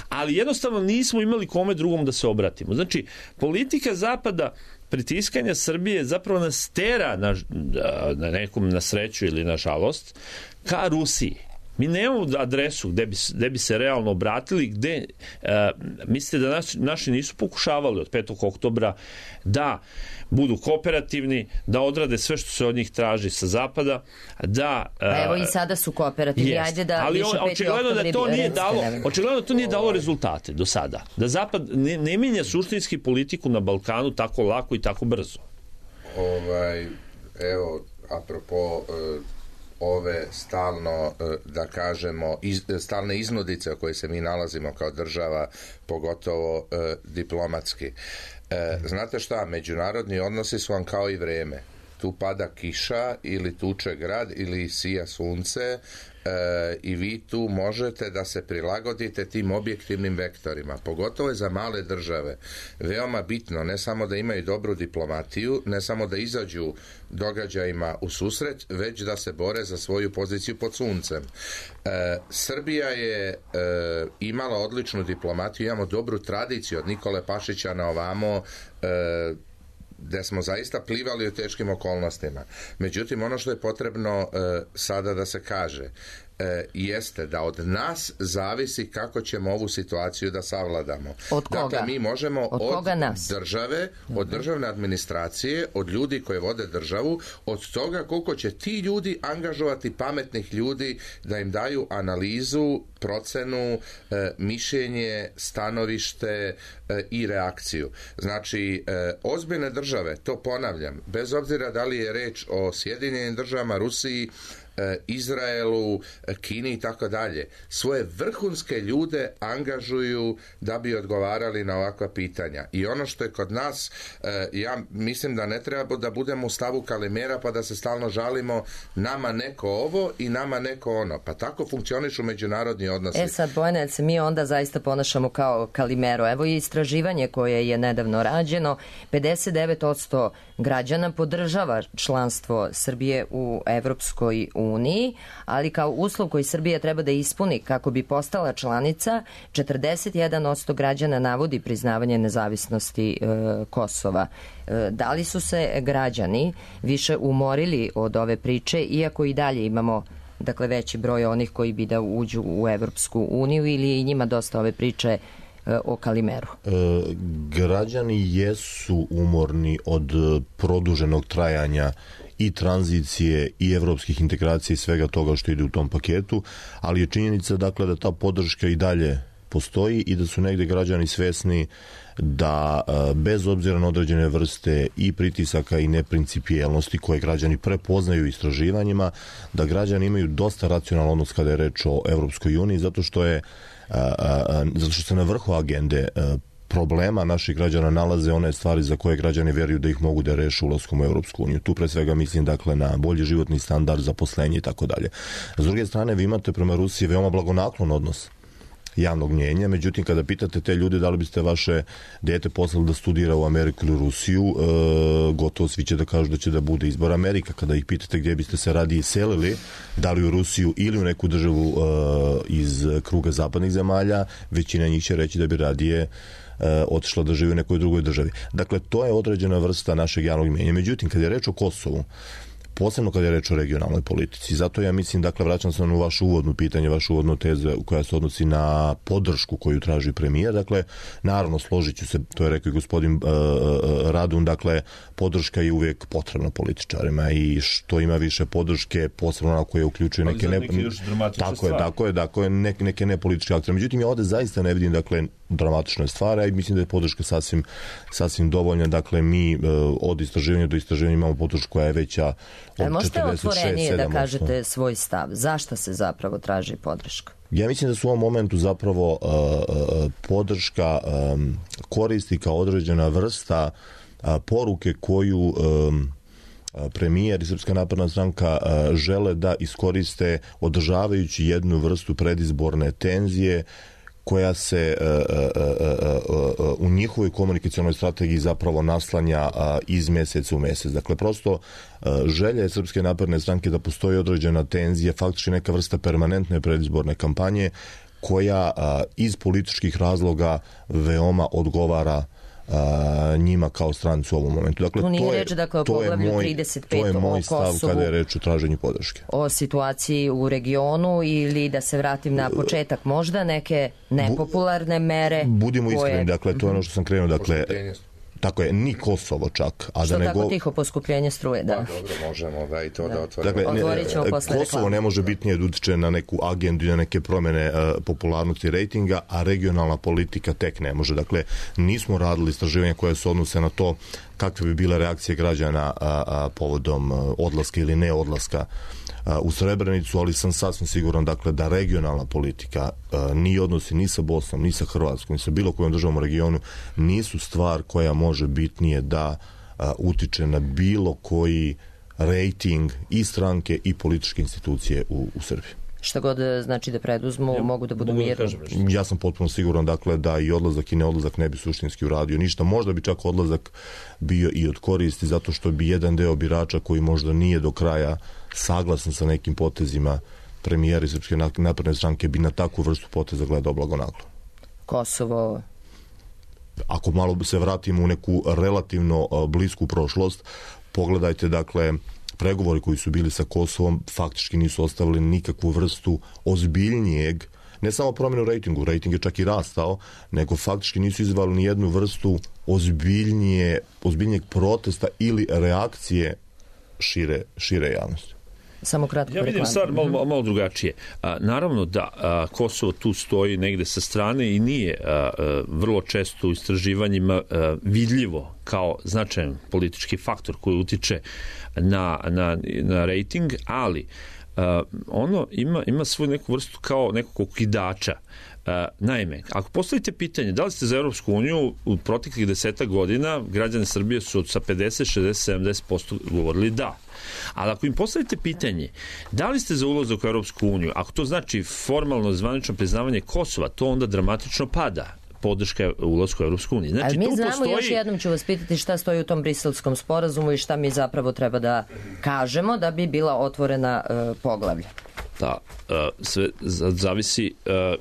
Ali jednostavno nismo imali kome drugom da se obratimo. Znači, politika Zapada pritiskanja Srbije zapravo nas tera na, na nekom na sreću ili na žalost ka Rusiji. Mi nemamo adresu gde bi, gde bi se realno obratili, gde uh, mislite da naši, naši nisu pokušavali od petog oktobra da budu kooperativni, da odrade sve što se od njih traži sa zapada, da... Uh, pa evo i sada su kooperativni, jest. Ajde da ali više očigledno da to nije dalo, očigledno to nije dalo rezultate do sada. Da zapad ne, ne minja suštinski politiku na Balkanu tako lako i tako brzo. Ovaj, evo, apropo... Uh, ove stalno, da kažemo, iz, stalne iznudice u kojoj se mi nalazimo kao država, pogotovo eh, diplomatski. Eh, znate šta, međunarodni odnosi su vam kao i vreme. Tu pada kiša ili tuče grad ili sija sunce e, i vi tu možete da se prilagodite tim objektivnim vektorima. Pogotovo je za male države veoma bitno ne samo da imaju dobru diplomatiju, ne samo da izađu događajima u susret, već da se bore za svoju poziciju pod suncem. E, Srbija je e, imala odličnu diplomatiju, imamo dobru tradiciju od Nikole Pašića na ovamo, e, gde smo zaista plivali u teškim okolnostima. Međutim, ono što je potrebno e, sada da se kaže e, jeste da od nas zavisi kako ćemo ovu situaciju da savladamo. Od koga? Dakle, mi možemo od, od nas? države, od državne administracije, od ljudi koji vode državu, od toga koliko će ti ljudi angažovati pametnih ljudi da im daju analizu, procenu, e, mišljenje, stanovište e, i reakciju. Znači, e, ozbiljne države, to ponavljam, bez obzira da li je reč o Sjedinjenim državama, Rusiji, Izraelu, Kini i tako dalje, svoje vrhunske ljude angažuju da bi odgovarali na ovakva pitanja. I ono što je kod nas, ja mislim da ne treba da budemo u stavu Kalimera pa da se stalno žalimo nama neko ovo i nama neko ono. Pa tako funkcionišu međunarodni odnosi. E sad, Bojane, se mi onda zaista ponašamo kao Kalimero. Evo i istraživanje koje je nedavno rađeno, pedeset devet posto građana podržava članstvo Srbije u Evropskoj uniji, ali kao uslov koji Srbija treba da ispuni kako bi postala članica, četrdeset jedan posto građana navodi priznavanje nezavisnosti e, Kosova. E, da li su se građani više umorili od ove priče, iako i dalje imamo dakle veći broj onih koji bi da uđu u Evropsku uniju, ili je i njima dosta ove priče o Kalimeru? E, građani jesu umorni od produženog trajanja i tranzicije i evropskih integracija i svega toga što ide u tom paketu, ali je činjenica dakle da ta podrška i dalje postoji i da su negde građani svesni da bez obzira na određene vrste i pritisaka i neprincipijelnosti koje građani prepoznaju istraživanjima, da građani imaju dosta racionalan odnos kada je reč o Evropskoj uniji, zato što je zato što se na vrhu agende problema naših građana nalaze one stvari za koje građani veruju da ih mogu da reše ulaskom u Evropsku uniju. Tu pre svega mislim dakle na bolji životni standard, zaposlenje i tako dalje. S druge strane, vi imate prema Rusiji veoma blagonaklon odnos javnog mnjenja, međutim kada pitate te ljude da li biste vaše dete poslali da studira u Ameriku ili Rusiju, e, gotovo svi će da kažu da će da bude izbor Amerika. Kada ih pitate gdje biste se radije selili, da li u Rusiju ili u neku državu e, iz kruga zapadnih zemalja, većina njih će reći da bi radije e, otišla da živi u nekoj drugoj državi. Dakle, to je određena vrsta našeg javnog mnjenja. Međutim, kada je reč o Kosovu, posebno kad je reč o regionalnoj politici. Zato ja mislim, dakle, vraćam se na vašu uvodnu pitanje, vašu uvodnu tezu koja se odnosi na podršku koju traži premijer. Dakle, naravno, složit ću se, to je rekao i gospodin uh, Radun, dakle, podrška je uvijek potrebna političarima i što ima više podrške, posebno ona koja uključuje neke... Ne, neke još dramatične tako stvari. Je, tako je, tako je, neke, neke nepolitičke aktere. Međutim, ja ovdje zaista ne vidim, dakle, dramatične stvari, i mislim da je podrška sasvim, sasvim dovoljna. Dakle, mi uh, od istraživanja do istraživanja imamo podršku koja je veća od možete četrdeset šest otvorenije sedam da kažete svoj stav? Zašto se zapravo traži podrška? Ja mislim da su u ovom momentu zapravo uh, uh, podrška um, koristi kao određena vrsta uh, poruke koju um, premijer i Srpska napredna stranka uh, žele da iskoriste održavajući jednu vrstu predizborne tenzije koja se uh, uh, uh, uh, u njihovoj komunikacionoj strategiji zapravo naslanja uh, iz mjeseca u mjesec. Dakle, prosto uh, želja je Srpske napredne stranke da postoji određena tenzija, faktički neka vrsta permanentne predizborne kampanje koja uh, iz političkih razloga veoma odgovara Uh, njima kao stranci u ovom momentu. Dakle, to, to je, reč, dakle, to je moj, trideset pet to je moj o stav Kosovu, kada je reč o traženju podrške. O situaciji u regionu ili da se vratim na početak, možda neke nepopularne mere. Budimo koje... iskreni, dakle, to je ono što sam krenuo, dakle, tako je, ni Kosovo čak. A što da ne tako go... tiho poskupljenje struje, da. Pa, dobro, možemo da i to da, da otvorimo. Dakle, Otvorit ćemo posle Kosovo reklame. ne može bitnije da utiče na neku agendu i na neke promjene uh, popularnosti rejtinga, a regionalna politika tek ne može. Dakle, nismo radili istraživanja koje se odnose na to kakve bi bile reakcije građana a, a, povodom a, odlaska ili ne odlaska a, u Srebrenicu, ali sam sasvim siguran, dakle, da regionalna politika a, ni odnosi ni sa Bosnom, ni sa Hrvatskom, ni sa bilo kojom državom u regionu nisu stvar koja može bitnije da a, utiče na bilo koji rejting i stranke i političke institucije u, u Srbiji. Šta god znači da preduzmu, ja, mogu da budu mirni. Ja sam potpuno siguran, dakle, da i odlazak i neodlazak ne bi suštinski uradio ništa. Možda bi čak odlazak bio i od koristi, zato što bi jedan deo birača koji možda nije do kraja saglasan sa nekim potezima premijera i Srpske napredne stranke bi na takvu vrstu poteza gledao blagonaklo. Kosovo... Ako malo se vratimo u neku relativno blisku prošlost, pogledajte, dakle, pregovori koji su bili sa Kosovom faktički nisu ostavili nikakvu vrstu ozbiljnijeg, ne samo promjenu rejtingu, rejting je čak i rastao, nego faktički nisu izvali ni jednu vrstu ozbiljnije, ozbiljnijeg protesta ili reakcije šire, šire javnosti. Samo kratko. Ja vidim stvar malo, malo drugačije. A, naravno da a, Kosovo tu stoji negde sa strane i nije a, a, vrlo često u istraživanjima a, vidljivo kao značajan politički faktor koji utiče na, na, na rejting, ali a, ono ima, ima svoju neku vrstu kao nekog okidača. Uh, naime, ako postavite pitanje da li ste za Europsku uniju u proteklih desetak godina, građani Srbije su sa pedeset, šezdeset, sedamdeset posto govorili da. Ali ako im postavite pitanje da li ste za ulazak u Europsku uniju, ako to znači formalno zvanično priznavanje Kosova, to onda dramatično pada podrška ulazku u Europsku uniju. Znači, ali mi tu znamo, postoji... još jednom ću vas pitati šta stoji u tom briselskom sporazumu i šta mi zapravo treba da kažemo da bi bila otvorena uh, poglavlja. Da, sve zavisi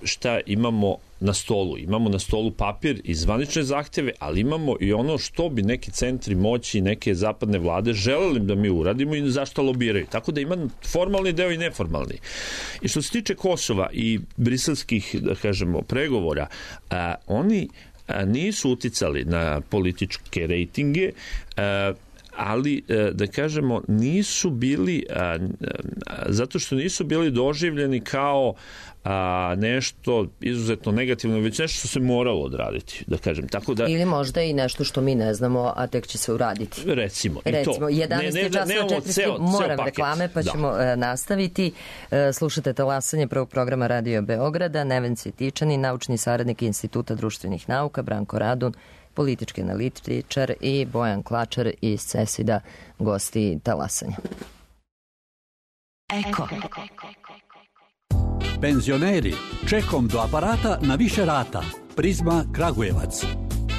šta imamo na stolu. Imamo na stolu papir i zvanične zahteve, ali imamo i ono što bi neki centri moći, neke zapadne vlade želeli da mi uradimo i zašto lobiraju. Tako da ima formalni deo i neformalni. I što se tiče Kosova i briselskih, da kažemo, pregovora, a, oni a, nisu uticali na političke rejtinge, a, ali, da kažemo, nisu bili, a, a, zato što nisu bili doživljeni kao a, nešto izuzetno negativno, već nešto što se moralo odraditi, da kažem. Tako da, ili možda i nešto što mi ne znamo, a tek će se uraditi. Recimo, i recimo to. jedanaest časova četiri moram reklame, pa da. ćemo uh, nastaviti. Uh, slušate talasanje prvog programa Radio Beograda, Neven Cvjetičanin, naučni saradnik Instituta društvenih nauka, Branko Radun, politički analitičar, i Bojan Klačar iz CESID-a, gosti talasanja. Eko. Penzioneri, čekom do aparata na više rata. Prizma Kragujevac.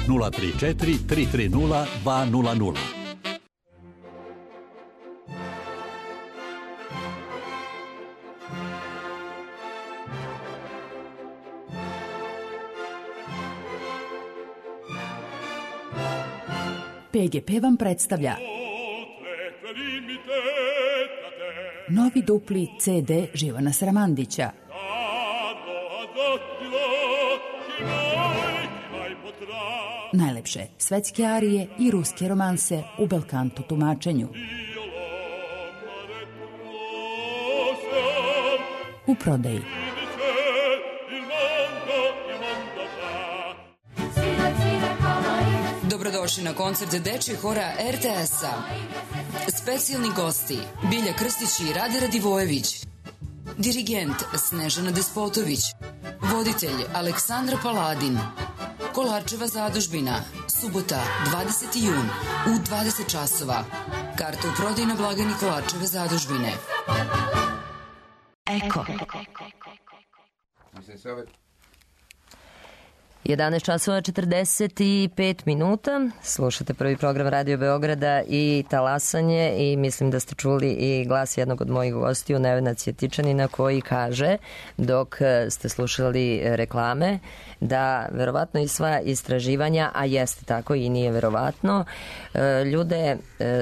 nula tri četiri, tri tri nula, dva nula nula. P G P vam predstavlja Novi dupli ce de Živana Sramandića. Najlepše svetske arije i ruske romanse u belkanto tumačenju. U prodaji. Dobrodošli na koncert dečjeg hora er te es-a. Specijalni gosti Bilja Krstić i Rade Radivojević. Dirigent Snežana Despotović. Voditelj Aleksandra Paladin. Kolarčeva zadužbina. Subota, dvadeseti jun u dvadeset časova. Karte u prodaji na blagajni Kolarčeve zadužbine. Eko. jedanaest časova četrdeset pet minuta. Slušate prvi program Radio Beograda i talasanje i mislim da ste čuli i glas jednog od mojih gostiju, Nevena Cjetičanina, koji kaže, dok ste slušali reklame, da verovatno i sva istraživanja, a jeste tako i nije verovatno, ljude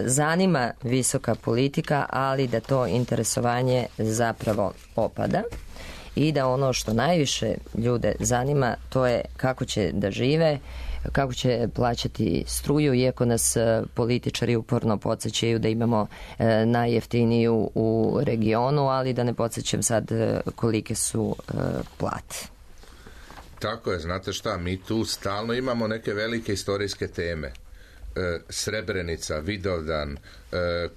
zanima visoka politika, ali da to interesovanje zapravo opada. I da ono što najviše ljude zanima, to je kako će da žive, kako će plaćati struju, iako nas političari uporno podsjećaju da imamo najjeftiniju u regionu, ali da ne podsjećam sad kolike su plate. Tako je, znate šta, mi tu stalno imamo neke velike istorijske teme. Srebrenica, Vidovdan,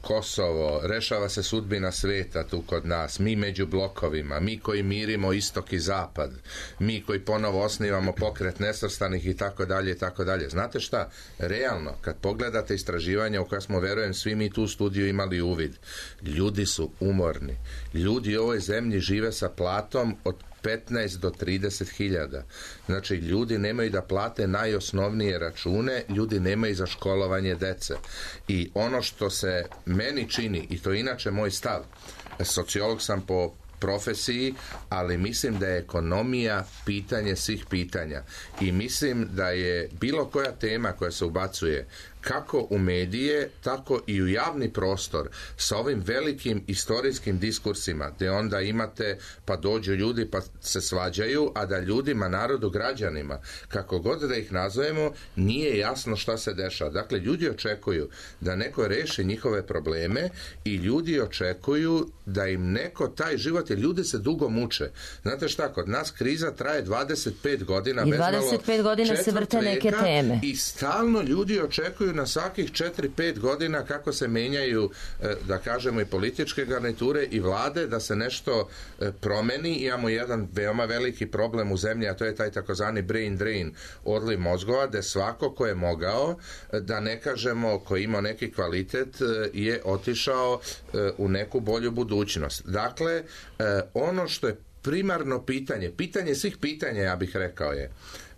Kosovo, rešava se sudbina sveta tu kod nas, mi među blokovima, mi koji mirimo istok i zapad, mi koji ponovo osnivamo pokret nesvrstanih i tako dalje i tako dalje. Znate šta, realno, kad pogledate istraživanja u koja smo, verujem, svi mi tu u studiju imali uvid, ljudi su umorni, ljudi u ovoj zemlji žive sa platom od petnaest do trideset hiljada. Znači, ljudi nemaju da plate najosnovnije račune, ljudi nemaju za školovanje dece. I ono što se meni čini, i to je inače moj stav, sociolog sam po profesiji, ali mislim da je ekonomija pitanje svih pitanja. I mislim da je bilo koja tema koja se ubacuje kako u medije, tako i u javni prostor sa ovim velikim istorijskim diskursima, gdje onda imate, pa dođu ljudi pa se svađaju, a da ljudima, narodu, građanima, kako god da ih nazovemo, nije jasno šta se dešava. Dakle, ljudi očekuju da neko reši njihove probleme i ljudi očekuju da im neko taj život, jer ljudi se dugo muče. Znate šta, kod nas kriza traje dvadeset pet godina. I dvadeset pet godina se vrte neke teme. I stalno ljudi očekuju na svakih četiri pet godina kako se menjaju, da kažemo, i političke garniture i vlade, da se nešto promeni. Imamo jedan veoma veliki problem u zemlji, a to je taj takozvani brain drain, odliv mozgova, gde svako ko je mogao, da ne kažemo ko ima neki kvalitet, je otišao u neku bolju budućnost. Dakle, ono što je primarno pitanje, pitanje svih pitanja, ja bih rekao, je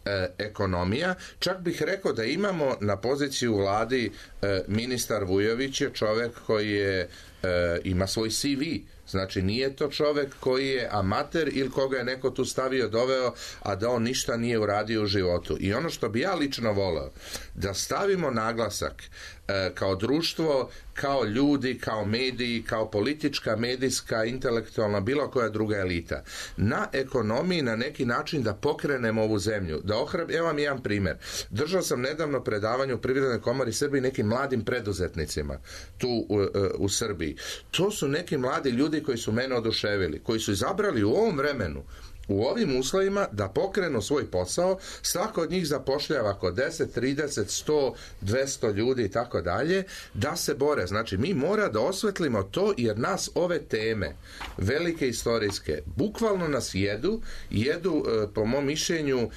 E, ekonomija. Čak bih rekao da imamo na poziciji u vladi e, ministar Vujović je čovek koji je, e, ima svoj ce ve. Znači, nije to čovek koji je amater ili koga je neko tu stavio, doveo, a da on ništa nije uradio u životu. I ono što bi ja lično voleo, da stavimo naglasak e, kao društvo, kao ljudi, kao mediji, kao politička, medijska, intelektualna, bilo koja druga elita, na ekonomiji na neki način da pokrenemo ovu zemlju. Da ohrab... Evo vam jedan primjer. Držao sam nedavno predavanje u Privrednoj komori Srbiji nekim mladim preduzetnicima tu u, u Srbiji. To su neki mladi ljudi koji su mene oduševili, koji su izabrali u ovom vremenu, u ovim uslovima da pokrenu svoj posao, svako od njih zapošljava oko deset, trideset, sto, dvesta ljudi i tako dalje, da se bore. Znači, mi mora da osvetlimo to, jer nas ove teme, velike istorijske, bukvalno nas jedu, jedu, po mom mišljenju,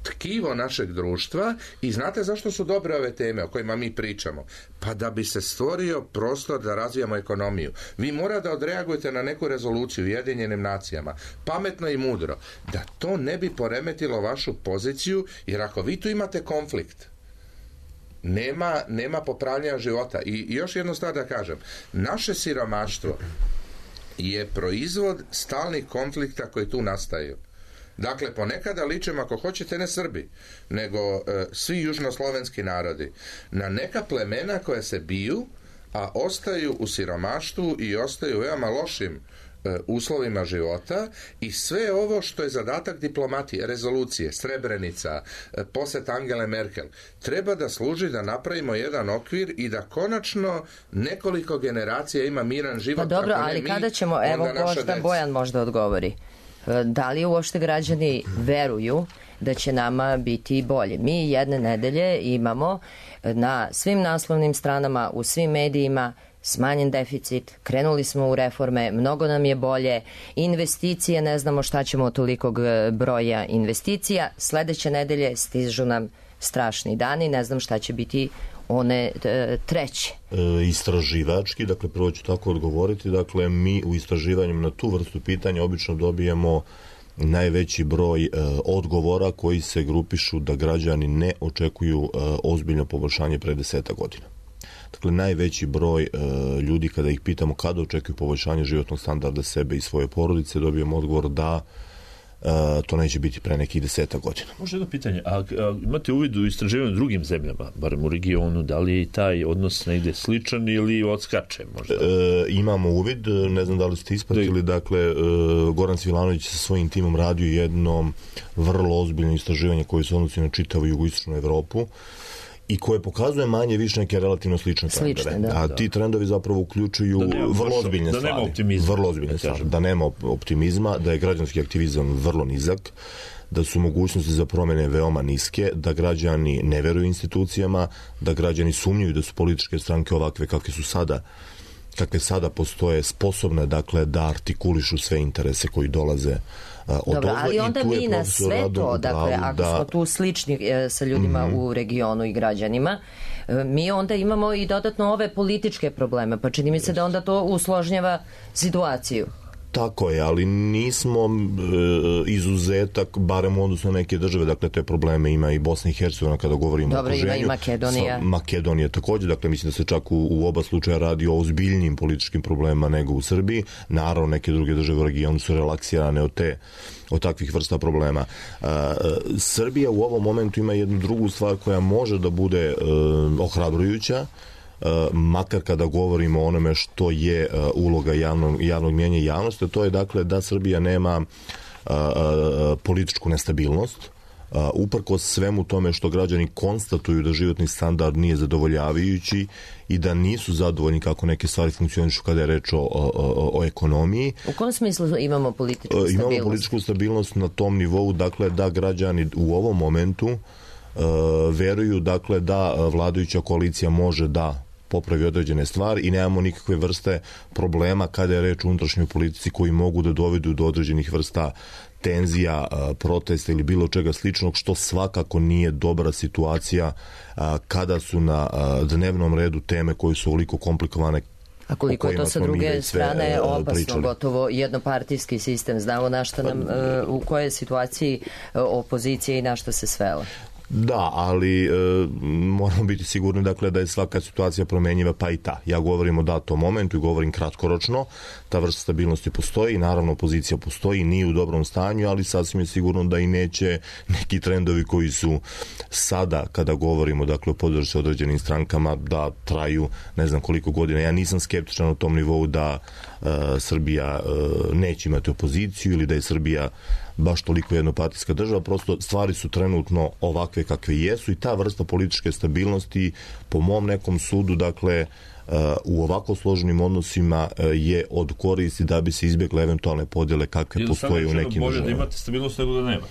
tkivo našeg društva. I znate zašto su dobre ove teme o kojima mi pričamo? Pa da bi se stvorio prostor da razvijamo ekonomiju. Vi mora da odreagujete na neku rezoluciju u Ujedinjenim nacijama, pametno i mudro, da to ne bi poremetilo vašu poziciju, jer ako vi tu imate konflikt, nema, nema popravljanja života. I, i još jednu stvar da kažem, naše siromaštvo je proizvod stalnih konflikta koji tu nastaju. Dakle, ponekada ličimo, ako hoćete, ne Srbi, nego e, svi južnoslovenski narodi, na neka plemena koja se biju, a ostaju u siromaštvu i ostaju u veoma lošim uslovima života i sve ovo što je zadatak diplomatije, rezolucije, Srebrenica, posjet Angele Merkel, treba da služi da napravimo jedan okvir i da konačno nekoliko generacija ima miran život. Pa dobro, ali mi, kada ćemo, evo možda Bojan možda odgovori, da li uopšte građani veruju da će nama biti bolje? Mi jedne nedelje imamo na svim naslovnim stranama, u svim medijima smanjen deficit, krenuli smo u reforme, mnogo nam je bolje, investicije, ne znamo šta ćemo od tolikog broja investicija, sledeće nedelje stižu nam strašni dani, ne znam šta će biti one e, treće. E, istraživački, dakle prvo ću tako odgovoriti, dakle mi u istraživanju na tu vrstu pitanja obično dobijemo najveći broj e, odgovora koji se grupišu da građani ne očekuju e, ozbiljno poboljšanje pre deseta godina. Dakle, najveći broj e, ljudi kada ih pitamo kada očekuju poboljšanje životnog standarda sebe i svoje porodice, dobijemo odgovor da e, to neće biti pre nekih deseta godina. Može jedno pitanje, a, a imate uvid u istraživanju drugim zemljama, barem u regionu, da li je taj odnos negde sličan ili odskače možda? E, imamo uvid, ne znam da li ste ispratili, da... dakle, e, Goran Svilanović sa svojim timom radio jedno vrlo ozbiljno istraživanje koje se odnosi na čitavu jugoistočnu Evropu i koje pokazuje manje više neke relativno slične trendove. Da, a ti trendovi zapravo uključuju vrlo ozbiljne da stvari. Nema optimizma, vrlo ozbiljne stvari. Da nema optimizma, da je građanski aktivizam vrlo nizak, da su mogućnosti za promjene veoma niske, da građani ne veruju institucijama, da građani sumnjuju da su političke stranke ovakve kakve su sada kakve sada postoje sposobne, dakle, da artikulišu sve interese koji dolaze od Dobro, ali onda mi na sve to, dakle, ako da... smo tu slični e, sa ljudima mm-hmm. u regionu i građanima, e, mi onda imamo i dodatno ove političke probleme, pa čini mi se da onda to usložnjava situaciju. Tako je, ali nismo e, izuzetak, barem u odnosu na neke države, dakle te probleme ima i Bosna i Hercegovina kada govorimo Dobro, o okruženju. Ima i Makedonija. Sa, Makedonija također, dakle mislim da se čak u, u oba slučaja radi o ozbiljnim političkim problemima nego u Srbiji. Naravno, neke druge države u regionu su relaksirane od te od takvih vrsta problema. Uh, Srbija u ovom momentu ima jednu drugu stvar koja može da bude uh, ohrabrujuća, Uh, makar kada govorimo o onome što je uh, uloga javnog, javnog mjenja i javnosti, to je dakle da Srbija nema uh, uh, političku nestabilnost, uh, uprkos svemu tome što građani konstatuju da životni standard nije zadovoljavajući i da nisu zadovoljni kako neke stvari funkcionišu kada je reč o, o, o ekonomiji. U kom smislu imamo političku stabilnost? Imamo političku stabilnost na tom nivou, dakle da građani u ovom momentu uh, veruju dakle da vladajuća koalicija može da popravi određene stvari i nemamo nikakve vrste problema kada je reč o unutrašnjoj politici koji mogu da dovedu do određenih vrsta tenzija, protesta ili bilo čega sličnog, što svakako nije dobra situacija kada su na dnevnom redu teme koje su ovoliko komplikovane. A koliko je to sa druge strane opasno, pričali. Gotovo jednopartijski sistem. Znamo na šta nam, u kojoj situaciji opozicija i na šta se svela. Da, ali e, moramo biti sigurni dakle da je svaka situacija promenjiva, pa i ta. Ja govorim o datom momentu i govorim kratkoročno, ta vrsta stabilnosti postoji, naravno opozicija postoji, nije u dobrom stanju, ali sasvim je sigurno da i neće neki trendovi koji su sada, kada govorimo dakle o podršci određenim strankama, da traju ne znam koliko godina. Ja nisam skeptičan u tom nivou da e, Srbija e, neće imati opoziciju ili da je Srbija baš toliko jednopartijska država, prosto stvari su trenutno ovakve kakve jesu i ta vrsta političke stabilnosti po mom nekom sudu, dakle, u ovako složenim odnosima je od koristi da bi se izbjegle eventualne podjele kakve postoje u nekim državama. Bolje da imate stabilnost nego da nema.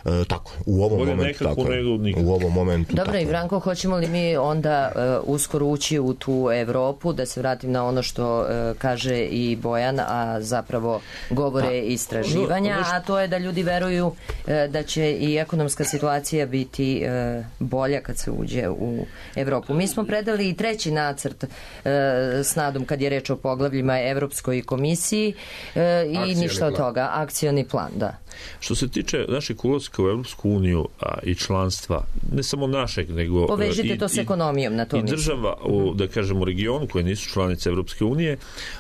E, tako je. U ovom bolje momentu tako je. Nego u ovom momentu Dobro, i Branko, hoćemo li mi onda uh, uskoro ući u tu Evropu, da se vratim na ono što uh, kaže i Bojan, a zapravo govore pa, istraživanja, ono što... a to je da ljudi veruju uh, da će i ekonomska situacija biti uh, bolja kad se uđe u Evropu. Mi smo predali i treći nacrt s nadom kad je reč o poglavljima Evropskoj komisiji e, i Akcijani ništa od toga. Akcioni plan, da. Što se tiče našeg ulaska u Evropsku uniju a, i članstva, ne samo našeg, nego povežite i, to s ekonomijom, na to i mislim. Država, u, da kažemo, u regionu koje nisu članice Evropske unije,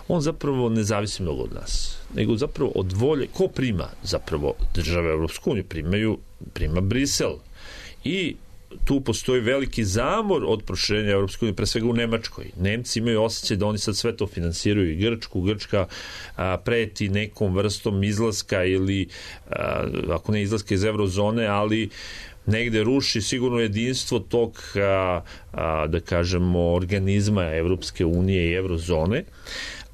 on zapravo ne zavisi mnogo od nas, nego zapravo od volje, ko prima zapravo države Evropsku uniju, primaju, prima Brisel. I tu postoji veliki zamor od proširenja Evropske unije, pre svega u Nemačkoj. Nemci imaju osjećaj da oni sad sve to finansiraju i Grčku. Grčka a, preti nekom vrstom izlaska ili, a, ako ne izlaska iz eurozone, ali negde ruši sigurno jedinstvo tog, a, a, da kažemo, organizma Evropske unije i eurozone.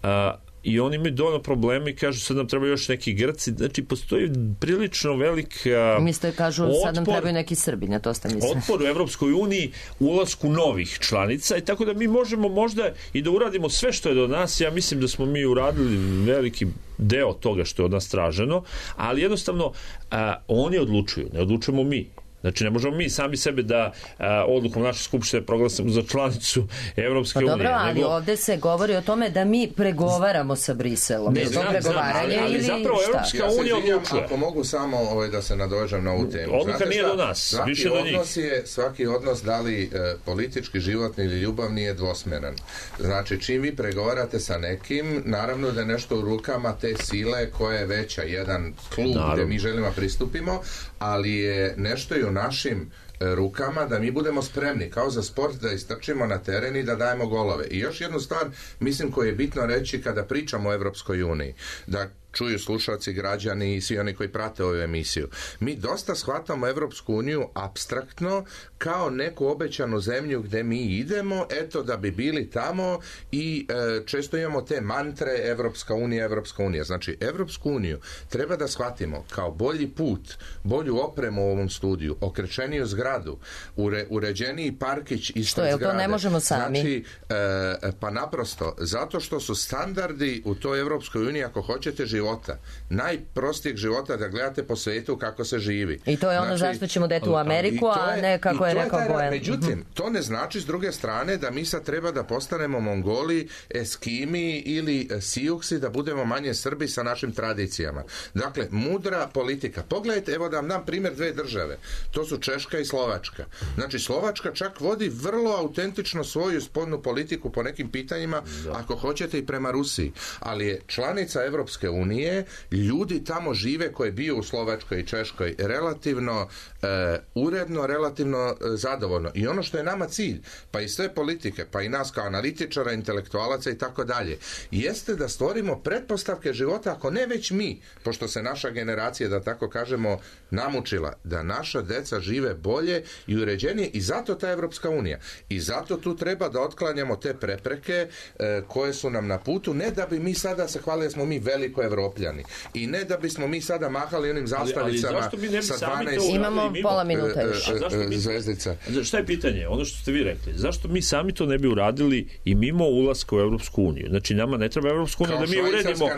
A, i oni imaju dovoljno problema i kažu sad nam treba još neki Grci, znači postoji prilično velik uh, Misto kažu otpor, sad nam trebaju neki Srbi, na to ste mislili. Otpor u Evropskoj uniji, ulasku novih članica i tako da mi možemo možda i da uradimo sve što je do nas. Ja mislim da smo mi uradili veliki deo toga što je od nas traženo, ali jednostavno uh, oni odlučuju, ne odlučujemo mi. Znači, ne možemo mi sami sebe da a, odlukom naše skupštine proglasimo za članicu Evropske unije. Pa dobro, ali nego... ovde se govori o tome da mi pregovaramo sa Briselom. Ne, znam, znam, ali, ali zapravo Evropska unija odlučuje. Ako mogu samo ovaj, da se nadovežem na ovu temu. Odluka nije do nas, svaki više do njih. Odnos je, svaki odnos, da li e, politički, životni ili ljubavni, je dvosmeran. Znači, čim vi pregovarate sa nekim, naravno da je nešto u rukama te sile koja je veća, jedan klub naravno, gde mi želimo pristupimo, ali je nešto i u našim rukama da mi budemo spremni kao za sport da istrčimo na teren i da dajemo golove. I još jednu stvar, mislim, koju je bitno reći kada pričamo o Evropskoj uniji, da čuju slušalci, građani i svi oni koji prate ovu emisiju. Mi dosta shvatamo Evropsku uniju apstraktno kao neku obećanu zemlju gde mi idemo, eto da bi bili tamo i e, često imamo te mantre Evropska unija, Evropska unija. Znači, Evropsku uniju treba da shvatimo kao bolji put, bolju opremu u ovom studiju, okrečeniju zgradu, ure, uređeniji parkić ispred zgrade. Što je, to ne možemo sami? Znači, e, pa naprosto, zato što su standardi u toj Evropskoj uniji, ako hoćete, života, najprostijeg života, da gledate po svetu kako se živi. I to je ono znači, zašto ćemo deti u Ameriku, je, a ne kako je rekao Bojan. Međutim, to ne znači s druge strane da mi sad treba da postanemo Mongoli, Eskimi ili Sijuksi, da budemo manje Srbi sa našim tradicijama. Dakle, mudra politika. Pogledajte, evo da vam dam primjer dve države. To su Češka i Slovačka. Znači, Slovačka čak vodi vrlo autentično svoju spoljnu politiku po nekim pitanjima, da, ako hoćete i prema Rusiji. Ali je članica Evropske unije, ljudi tamo žive, koji je bio u Slovačkoj i Češkoj, relativno e, uredno, relativno e, zadovoljno. I ono što je nama cilj, pa i sve politike, pa i nas kao analitičara, intelektualaca i tako dalje, jeste da stvorimo pretpostavke života, ako ne već mi, pošto se naša generacija, da tako kažemo, namučila, da naša deca žive bolje i uređenije, i zato ta Evropska unija. I zato tu treba da otklanjamo te prepreke e, koje su nam na putu, ne da bi mi sada se hvalili smo mi veliko Evropljani. I ne da bismo mi sada mahali onim zastavicama sa dvanaest imamo pola minuta još. Zvezdica. Šta je pitanje? Ono što ste vi rekli. Zašto mi sami to ne bi uradili i mimo ulaska u Evropsku uniju? Znači, nama ne treba Evropsku uniju da mi uredimo,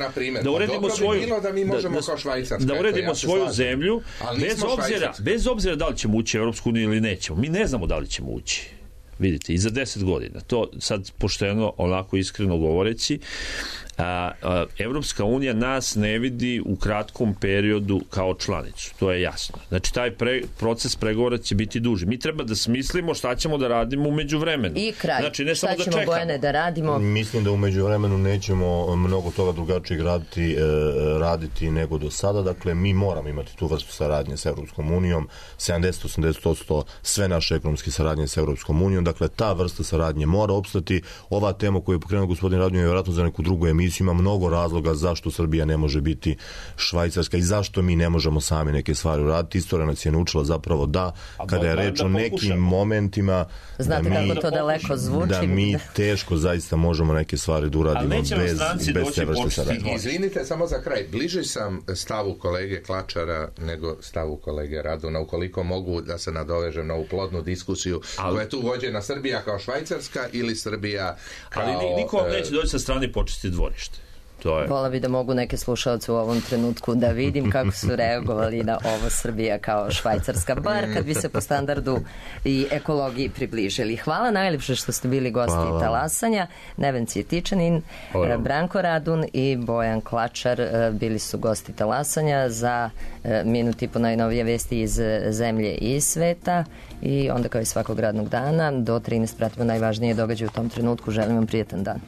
da uredimo svoju, bilo da mi možemo da, kao Švajcarska. Da uredimo ja svoju slažem. zemlju, bez obzira, bez obzira da li ćemo ući u Evropsku uniju ili nećemo. Mi ne znamo da li ćemo ući. Vidite, i za deset godina. To sad pošteno, onako iskreno govoreći, a, a, Evropska unija nas ne vidi u kratkom periodu kao članicu. To je jasno. Znači, taj pre, proces pregovora će biti duži. Mi treba da smislimo šta ćemo da radimo u međuvremenu. I kraj. Znači, ne šta samo ćemo, da čekamo. Bojane, da radimo? Mislim da u međuvremenu nećemo mnogo toga drugačije raditi, e, raditi nego do sada. Dakle, mi moramo imati tu vrstu saradnje s Evropskom unijom. sedamdeset do osamdeset posto sve naše ekonomske saradnje s Evropskom unijom. Dakle, ta vrsta saradnje mora opstati. Ova tema koju je pokrenuo gospodin Radonjić je vjerojatno za neku drugu emisiju. Ima mnogo razloga zašto Srbija ne može biti Švajcarska i zašto mi ne možemo sami neke stvari uraditi. Istorija nas je naučila zapravo da, kada je reč o nekim momentima, znate da mi, kako to daleko zvuči, da mi teško zaista možemo neke stvari da uradimo bez, bez te vrste saradnje. Izvinite, samo za kraj. Bliže sam stavu kolege Klačara nego stavu kolege Raduna, ukoliko mogu da se nadovežem na ovu plodnu diskusiju ali, koja je tu vođena Srbija kao Švajcarska ili Srbija kao... Ali niko vam neće doći sa strane počesti dvorište. Vola bi da mogu neke slušalce u ovom trenutku da vidim kako su reagovali na ovo Srbija kao Švajcarska, bar kad bi se po standardu i ekologiji približili. Hvala najljepše što ste bili gosti Hvala. Talasanja. Neven Cvjetičanin, Hvala. Branko Radun i Bojan Klačar bili su gosti Talasanja za minut i po najnovije vesti iz zemlje i sveta i onda kao i svakog radnog dana do trinaest pratimo najvažnije događaje u tom trenutku. Želim vam prijetan dan.